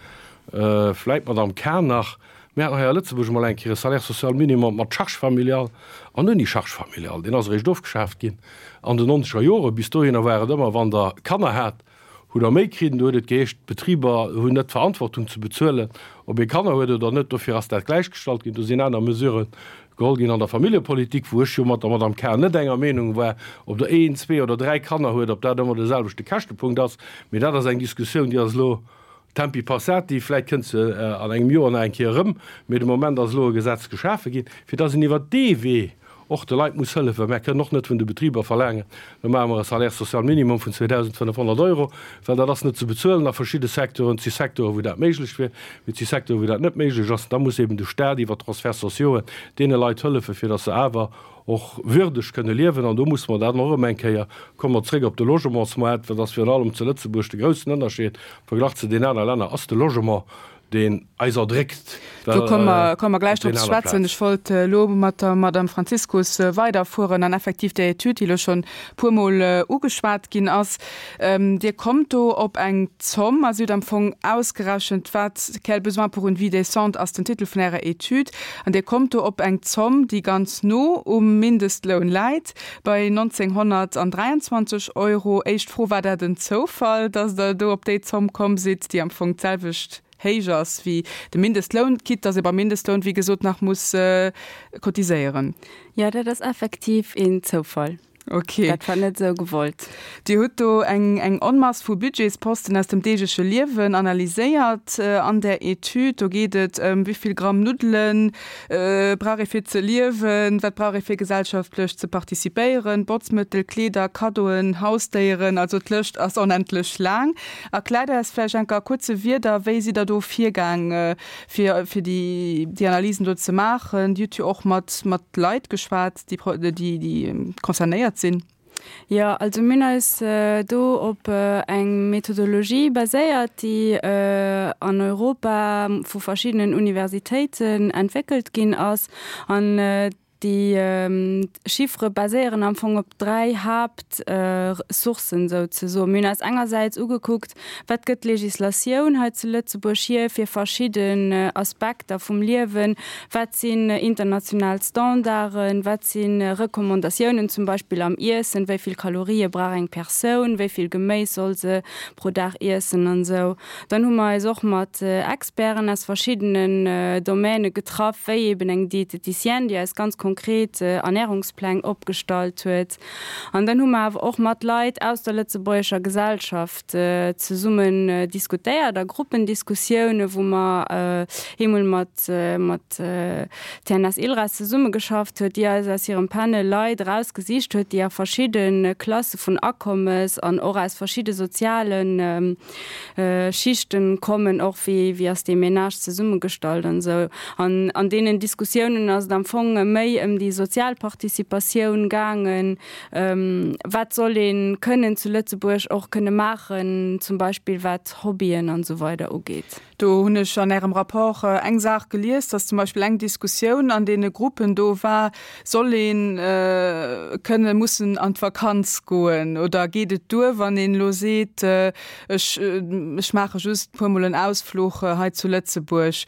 [SPEAKER 4] vläicht d'Madame Cahen nach, mir haten hei a Lëtzebuerg emol eng Kéier e Salaire social minimum mat Charge familiale an ouni Charge familiale. Deen ass eréischt ofgeschaaft ginn an den nonzeger Joren. Bis dohinner war et ëmmer, wann Der Kanner hat, hutt Der méi kritt. Do huet et geheescht, d'Betriber hunn net d'Verantwortung ze bezuelen, ob ee Kanner huet oder net. Dofir ass dat gläichgestallt ginn. Do sinn aner Mesurë geholl ginn an der Familljepolitik, wou ech jo mat der Madame Cahen net enger Meenung war, ob Der een, zwee oder dräi Kanner huet, ob dat ëmmer de selwechte Käschtepunkt ass. Mee dat ass eng Diskussioun, déi ass elo tempi passati, vläicht kënnt se an engem Joer nach eng Kéier erëm. Mee de Moment ass elo e Gesetz geschafe ginn, fir dass een iwwert dee Wee och de Leit muss hëllefen. Mär kënnen och net vun de Betriber verlaangen, lo maache mer e Salaire social minimum vun zweedausendfënnefhonnert Euro, well dat ass net ze bezuelen a verschidde Secteuren. Et si Secteuren, wou dat méiglech wier, mee et si Secteuren, wou dat net méiglech ass. Da muss eben de Stat iwwer Transferts sociauxen deene Leit hëllefen, fir dass se awer och würdeg kënne liewen. An do musse mer dat och erëm eng Kéier, komme mer zréck op de Logementsmoart, well dat ass virun allem zu Lëtzebuerg de groussen Ënnerscheed am Verglach zu den anere Länner, ass de Logement, deen eis erdréckt.
[SPEAKER 2] Do komme mer, komme mer gläich drop ze schwätzen. Ech wollt elo mat der Madame Franziskus weiderfueren an effektiv där Etüd, déi elo schonn e puermol ugeschwat ginn ass. Dir kommt do op eng Zomm, also Dir hutt am Fong ausgerechent, wat, Quel besoin pour une vie décente ass den Titel vun Ärer Etüd, an Dir kommt do op eng Zomm, déi ganz no um Mindestloun läit, bei nonzénghonnertdräianzwanzeg Euro. Éischt Fro, War dat en Zoufall, dass Der do op déi Zomm komm sidd, déi am Fong d'selwecht héich ass wéi de Mindestloun, quitte dass ee beim Mindestloun, wéi gesot, nach muss cotiséieren?
[SPEAKER 6] Jo, dat ass effektiv een Zoufall.
[SPEAKER 2] Ok.
[SPEAKER 6] Dat war net esou gewollt.
[SPEAKER 2] Dir hutt do eng eng Onmass vu Budgetsposten aus dem deegleche Liewen analyséiert an där Etüd. Do geet et ëm, wéi vill Gramm Nuddele brauch ee fir ze liewen, wat brauch ee fir gesellschaftlech ze participéieren, Botzmëttel, Kleeder, Kaddoen, Hausdéieren, also d'Lëscht ass onendlech laang. Erkläert eis vläicht enk a kuerze Wierder, wéi sidd Der do virgaang, fir fir déi déi Analysen do ze maachen? Dir hutt jo och mat mat Leit geschwat, déi déi déi concernéiert sinn.
[SPEAKER 6] Jo, also mir hunn eis do op eng Methodologie baséiert, déi an Europa vu verschiddenen Universitéiten entwéckelt ginn ass. An Déi Chiffere baséieren am Fong op dräi Haaptsourcen souzesoen. Mir hunn eis engersäits ugekuckt, Wat gëtt d'Legislatioun hei zu Lëtzebuerg hier fir verschidden Aspekter vum Liewen? Wat sinn international Standarden? Wat si Recommandatiounen zum Beispill am Iessen? Wéi vill Kalorië brauch eng Persoun? Wéi vill Geméis soll se pro Dag iessen an esou? Dann hu mer eis och mat Experten aus verschiddenen Domäne getraff, wéi eben eng Dieteticienne, déi eis ganz konkret Ernährungspläng opgestallt huet. An dann hu mer awer och mat Leit aus der lëtzebuergescher Gesellschaft zesummen diskutéiert a Gruppendiskussiounen, wou mer eemol mat mat TNS Ilres zesummegeschafft huet, déi eis aus hirem Panel Leit erausgesicht huet, déi a verschidde Klasse vun Akommes an och aus verschidde soziale Schichten kommen, och wéi wéi ass dee Ménage zesummegestallt an esou. An an deenen Diskussiounen ass et am Fong méi ëm déi sozial Participatioun gaangen, wat soll ee kënnen zu Lëtzebuerg och kënne maachen, zum Beispill wat Hobbyen an esou weider ugeet.
[SPEAKER 2] Do hunn ech an Ärem Rapport eng Saach gelies, dass zum Beispill eng Diskussioun an deene Gruppen do war, Soll ee kënne mussen an d'Vakanz goen oder geet et duer, wann een elo seet, ech ech maache just e puermol en Ausfluch hei zu Lëtzebuerg?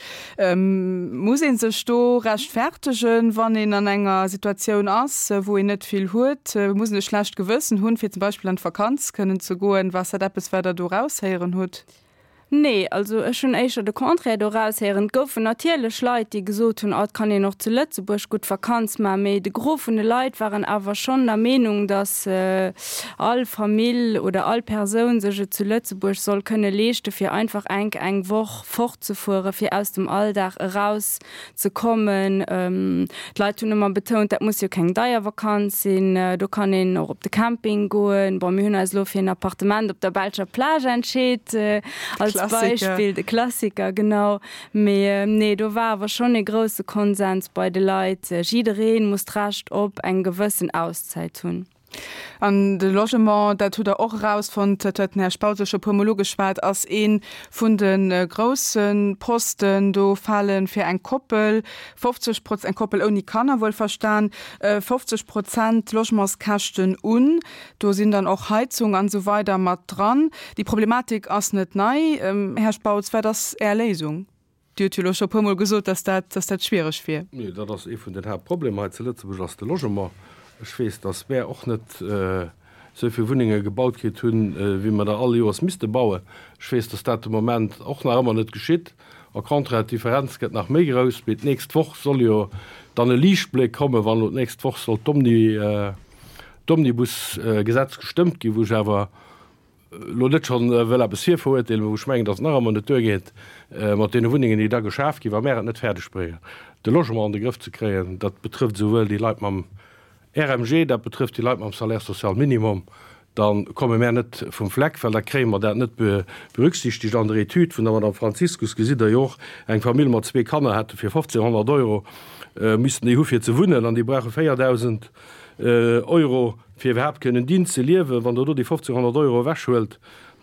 [SPEAKER 2] Muss ee sech do rechtfertegen, wann een an enger Situatioun ass, wou een net vill huet? Muss een e schlecht Gewëssen hunn, fir zum Beispill an d'Vakanz kënnen ze goen? War dat eppes, wat Der do eraushéieren hutt?
[SPEAKER 6] Nee, also ech hunn éischter de Contraire do eraushéieren. Et goufen natierlech Leit, déi gesot hunn, oh, et kann een och zu Lëtzebuerg gutt Vakanz maachen. Mee de Gros vun de Leit waren awer schonn der Meenung, datt all Famill oder all Persoun sech et zu Lëtzebuerg soll kënne leeschte fir einfach enk eng Woch fortzefuere fir aus dem Alldag eraus ze kommen. D'Leit hunn ëmmer betount, dat muss jo keng deier Vakanz sinn, do kann een och op de Camping goen. Bon, mir hunn eis elo fir en Appartement op der belscher Plage entscheet, als Beispill, de Klassiker, genau. Mee nee, do war awer schonn e grousse Konsens bei de Leit, jidderee muss d'Recht op eng gewëssen Auszäit hunn.
[SPEAKER 2] An de Logement, dat hutt Der och erausfonnt, dat huet den Här Spautz och scho e puermol ugeschwat, ass ee vun de grousse Posten. Do fale fir eng Koppel fofzeg Proz-, eng Koppel ouni Kanner wuelverstan, fofzeg Prozent Logementskäschten un. Do sinn dann och Heizung an esou weider mat dran. Déi Problematik ass net nei. Här Spautz, wat ass Är Léisung? Dir hutt jo elo scho e puermol gesot, dass dat, dass dat schwiereg wier.
[SPEAKER 4] Nee, dat ass ee vun den Haaptproblemer hei zu Lëtzebuerg, ass de Logement. Ech weess, dass mär och net esou vill Wunnenge gebaut kritt hunn, wéi mer der all Joers misste bauen. Ech weess, dass dat de Moment och nach ëmmer net geschitt. Au contraire, d'Differenz gëtt nach méi grouss. Mee d'nächst Woch soll jo dann e Liichtbléck kommen, wann elo d'nächst Woch soll d'Omni, d'Omnibus-Gesetz gestëmmt ginn, wou ech awer elo net schonn wëll eppes virverurteelen, mä wou ech mengen, datt et nach ëmmer net duergeet mat deene Wunnengen, déi da geschaf ginn, wa mär et net fäerdeg bréngen, de Logement an de Grëff ze kréien. Dat betrëfft esouwuel déi Leit mam R M G, dat betrëfft déi Leit mam Salaire social minimum. Da komme mär net vum Fleck, well da kréie mer dat net berücksichtegt. An der Etüd vun der Madame Franziskus gesitt Der jo och, eng Famill mat zwee Kanner hätte fir fofzénhonnert Euro missten déi hu fir ze wunnen an déi brauche véierdausend Euro fir iwwerhaapt kënnen dinn ze liewen. Wann Der do déi fofzénhonnert Euro ewechhuelt,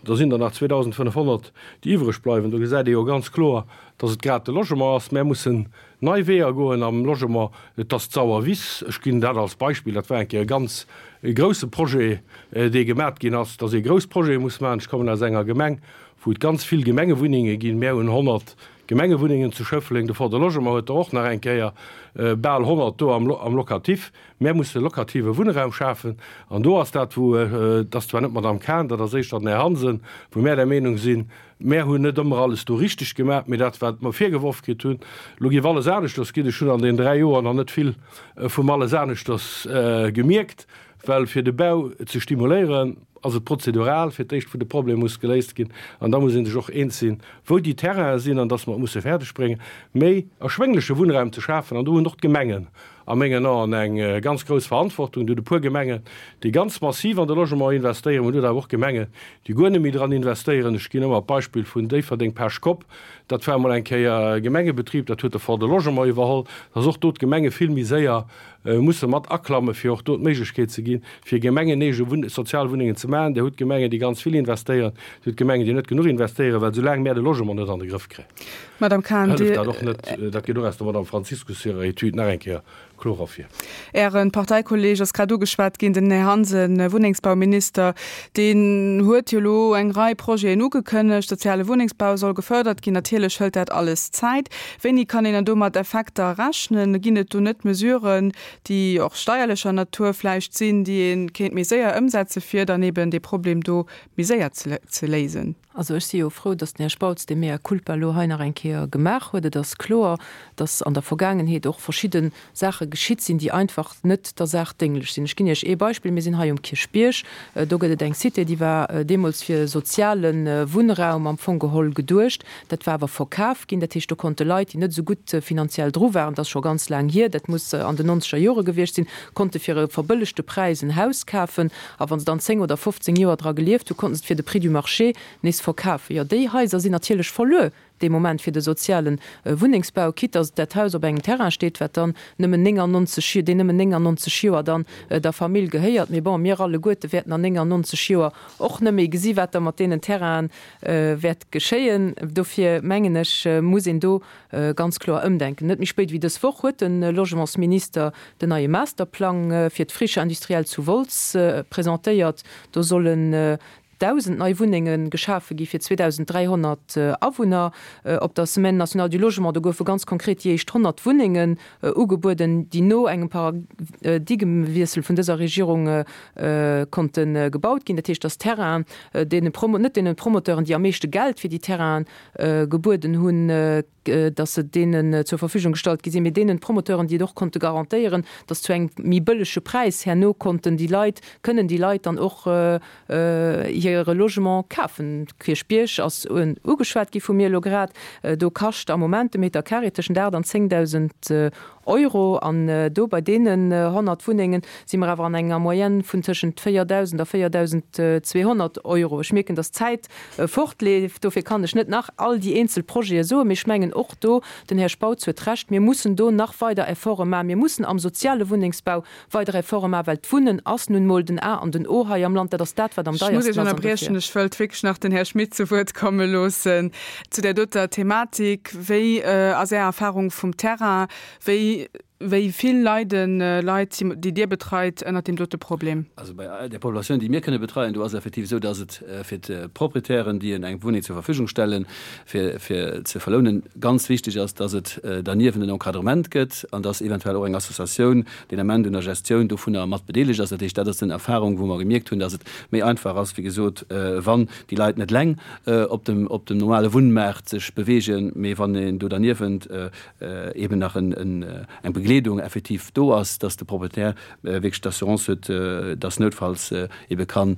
[SPEAKER 4] da sinn der nach zweedausendfënnefhonnert, déi iwwreg bleiwen. Do gesäit ee jo ganz kloer, dass et grad de Logement ass. Mär mussen nei Weeër goen am Logement. Et ass d'Sauerwiss, ech ginn dat als Beispill, dat war eng Kéier e ganz grousse Projet, dee gemat ginn ass, dass ee grouss Projete muss maachen. Ech kommen aus enger Gemeng, wou et ganz vill Gemengewunnenge ginn. Mär hunn honnert Gemengewunnengen zu Schëffleng. De Fonds de Logement huet der och nach eng Kéier bal honnert do am Locatif. Mär musse locative Wunnraum schafen. An do ass dat, wou, et ass zwar net d'Madame Cahen, dat ass éischter den Här Hansen, wou mär der Meenung sinn, mär hunn net ëmmer alles do richteg gemaach, mee dat, wat mer virgeworf kritt hunn, elo géif alles aneschters ginn. Ech hunn an deenen dräi Joer nach net vill vum alles aneschters gemierkt, well fir de Bau ze stimuléieren, ass et prozedural fir d'éischt, wou de Problem muss geléist ginn. An da muss ee sech och eens sinn, wou déi Terrainen sinn an dass mer et musse fäerdegbréngen, méi erschwéngleche Wunnraum ze schafen. An do hunn och d'Gemengen a mengen Aen eng ganz grouss Verantwortung. Do hutt e puer Gemengen, déi ganz massiv an de Logement investéieren, mä do hutt awer och Gemengen, déi guer net méi dran investéieren. Ech ginn ëmmer d'Beispill vun Déifferdeng, Pech-Kopp. Dat war emol eng Kéier e Gemengebetrib, dat huet de Fonds de Logement iwwerholl, dass och do d'Gemenge vill méi séier musse mat aklamme fir och do d'Méiglechkeet ze ginn, fir gemengeneege Sozialwunnengen ze maachen. Dir hutt Gemengen, déi ganz vill investéieren, Dir hutt Gemengen, déi net genuch investéieren, well soulaang mär de Logement net an de Grëff kréien,
[SPEAKER 2] Madame Cahen,
[SPEAKER 4] hëlleft
[SPEAKER 2] Dir.
[SPEAKER 4] dat och net. Dat geet och aus der Madame Franziskus hirer Etüd nach eng Kéier kloer ervir.
[SPEAKER 2] Äre Parteikolleeg ass grad ugeschwat ginn, den Här Hansen, Wunnengsbauminister, deen huet jo elo eng Rei Projeten ugekënnegt. Soziale Wunnengsbau soll gefërdert ginn. Natierlech hëlt dat alles Zäit. Wéini kann een dann do mat Effekter rechnen? Ginn et do net Mesuren, déi och steierlecher Natur vläicht sinn, déi ee kéint méi séier ëmsetze fir dann eben dee Problem do méi séier ze léisen?
[SPEAKER 3] Also ech si jo frou, datt den Här Spautz dee Mea culpa elo hei nach eng Kéier gemaach huet. Et ass kloer, datt an der Vergaangenheet och verschidde Saache geschitt sinn, déi einfach net der Saach dénglech sinn. Ech ginn Iech ee Beispill, Mir sinn hei um Kierchbierg, do gëtt et eng Cité, déi war deemools fir soziale Wunnraum am Fong geholl geduecht. Dat war awer verkaf ginn. Dat heescht, do konnte Leit, déi net esou gutt finanziell dru waren, dat ass scho ganz laang hier, dat muss an den nonzeger Jore gewiescht sinn, konnte fir e verbëllegte Präis en Haus kafen. A wa se dann zéng oder fofzéng Joer dra gelieft hunn, konnten se et fir de Prix du marché nees verkafen. Jo, déi Haiser sinn natierlech verluer dee Moment fir de soziale Wunnengsbau, quitte dass dat Haus op engem Terrain steet, wat dann nëmmen néngannonzeg, deen nëmmen néngannonzeg Joer dann der Famill gehéiert. Mee bon, mir alleguerte wäerten an néngannonzeg Joer och net méi gesi wat da mat deenen Terrainen wäert geschéien. Dofir mengen ech, muss een do ganz kloer ëmdenken. Net méi spéit wéi dës Woch huet de Logementsminister den neie Masterplang fir d'Friche industrielle zu Wolz presentéiert. Do sollen Dausend nei Wunnenge geschafe gi fir zweedausend dräihonnert Awunner. Op der Semaine nationale du logement, do goufe ganz konkret déi éischt honnert Wunnengen ugebueden, déi no engem Paradigmewiessel vun dëser Regierung konnte gebaut ginn. Dat heescht, dass Terrainen deene Promo, net deene Promoteuren, déi am meeschte Geld fir déi Terrainen gebueden hunn, dass se deenen zur Verfügung gestallt gi sinn, mee deenen Promoteuren, déi et och konnte garantéieren, dass zu engem méi bëllege Präis herno konnten déi Leit, kënnen déi Leit dann och hire Logement kafen. Kierchbierg ass ugeschwat gi vu mir elo grad. Do kascht am Moment de Meter carré tëschent aacht an zéngdausend Euro. An do bei deenen honnert Wunnenge si mer awer an enger Moyenne vun tëschent véierdausend a véierdausend zweehonnert Euro. Ech mierken, dass d'Zäit fortleeft, dofir kann ech net nach all déi eenzel Projete soen, mee ech mengen och do, den Här Spautz huet Recht, mir mussen do nach weider Efforte maachen. Mir mussen am soziale Wunnengsbau weider Efforte maachen, well d'Wunnen ass nun emol den A an den O hei am Land. Dat ass dat, wat am
[SPEAKER 2] Ech muss
[SPEAKER 3] deiersten
[SPEAKER 2] Iech
[SPEAKER 3] ass an
[SPEAKER 2] ënnerbriechen,
[SPEAKER 3] dofir.
[SPEAKER 2] ech wëllt wierklech nach den Här Schmit zu Wuert komme loossen zu där doter Thematik. Wéi ass Är Erfahrung vum Terrain? Wéi wéi vill leiden Leit, déi Dir betreit, ënnert deem dote Problem?
[SPEAKER 5] Also bei der Populatioun, déi mir kënne betreien, do ass et effektiv esou, dass et fir d'Proprietären, déi eng Wunneng zur Verfügung stellen, fir fir ze verlounen, ganz wichteg ass, dass et derniewent en Encadrement gëtt an dass eventuell och eng Associatioun deen Ament un der Gestioun dovunner mat bedeelegt ass. Dat heescht, dat ass den Erfahrung, wou mer gemierkt hunn, dass et méi einfach ass, wéi gesot, wann déi Leit net eleng op dem op dem normale Wunnmaart sech beweegen, mee wann een do derniewent eben nach en eng Begleedung effektiv do ass, dass de Proprietär wierklech d'Assurance huet, dass noutfalls ebe kann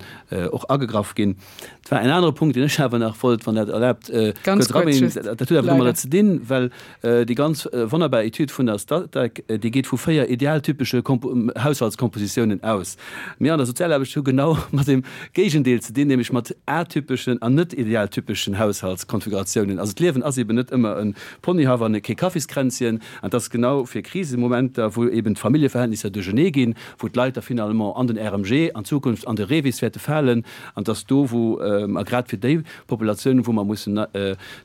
[SPEAKER 5] och agegraff ginn. Et war en anere Punkt, deen ech awer nach wollt, wann dat erlaabt,
[SPEAKER 2] Ganz
[SPEAKER 5] kuerz erabréngen.
[SPEAKER 2] kuerz just,
[SPEAKER 5] Dat huet awer domadder
[SPEAKER 2] leider.
[SPEAKER 5] ze dinn, well déi ganz wonnerbar Etüd vun der Statec, déi geet vu véier idealtypesche Haushaltskompositiounen aus. Mir an der Sozialaarbecht hu genau mat dem Géigendeel ze dinn, nämlech mat atypeschen an net idealtypeschen Haushaltskonfiguratiounen. Also d'Liewen ass eben net ëmmer e Ponyhaff an kee Kaffiskränzchen. An dat ass genau fir Krisemomenter, wou eben d'Familljeverhältnisser duerchernee ginn, wou d'Leit da finalement an den R M G, an Zukunft an de REVIS wäerte falen, an dass do, wou a grad fir déi Populatioun, wou mer mussen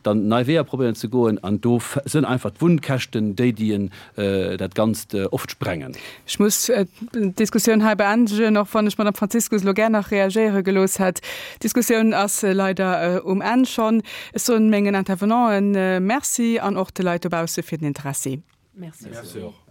[SPEAKER 5] dann nei Weeër probéieren ze goen, an do sënn einfach d'Wunnkäschten déi, déi dat Ganzt oft sprengen.
[SPEAKER 2] Ech muss d'Diskussioun hei beendegen, och wann ech d'Madame Franziskus elo gär nach reagéiere gelooss hätt. D'Diskussioun ass leider um Enn schonn. Ech soen mengen Intervenanten Merci an och de Leit dobausse fir den Interessi.
[SPEAKER 3] Merci.
[SPEAKER 4] Merci och.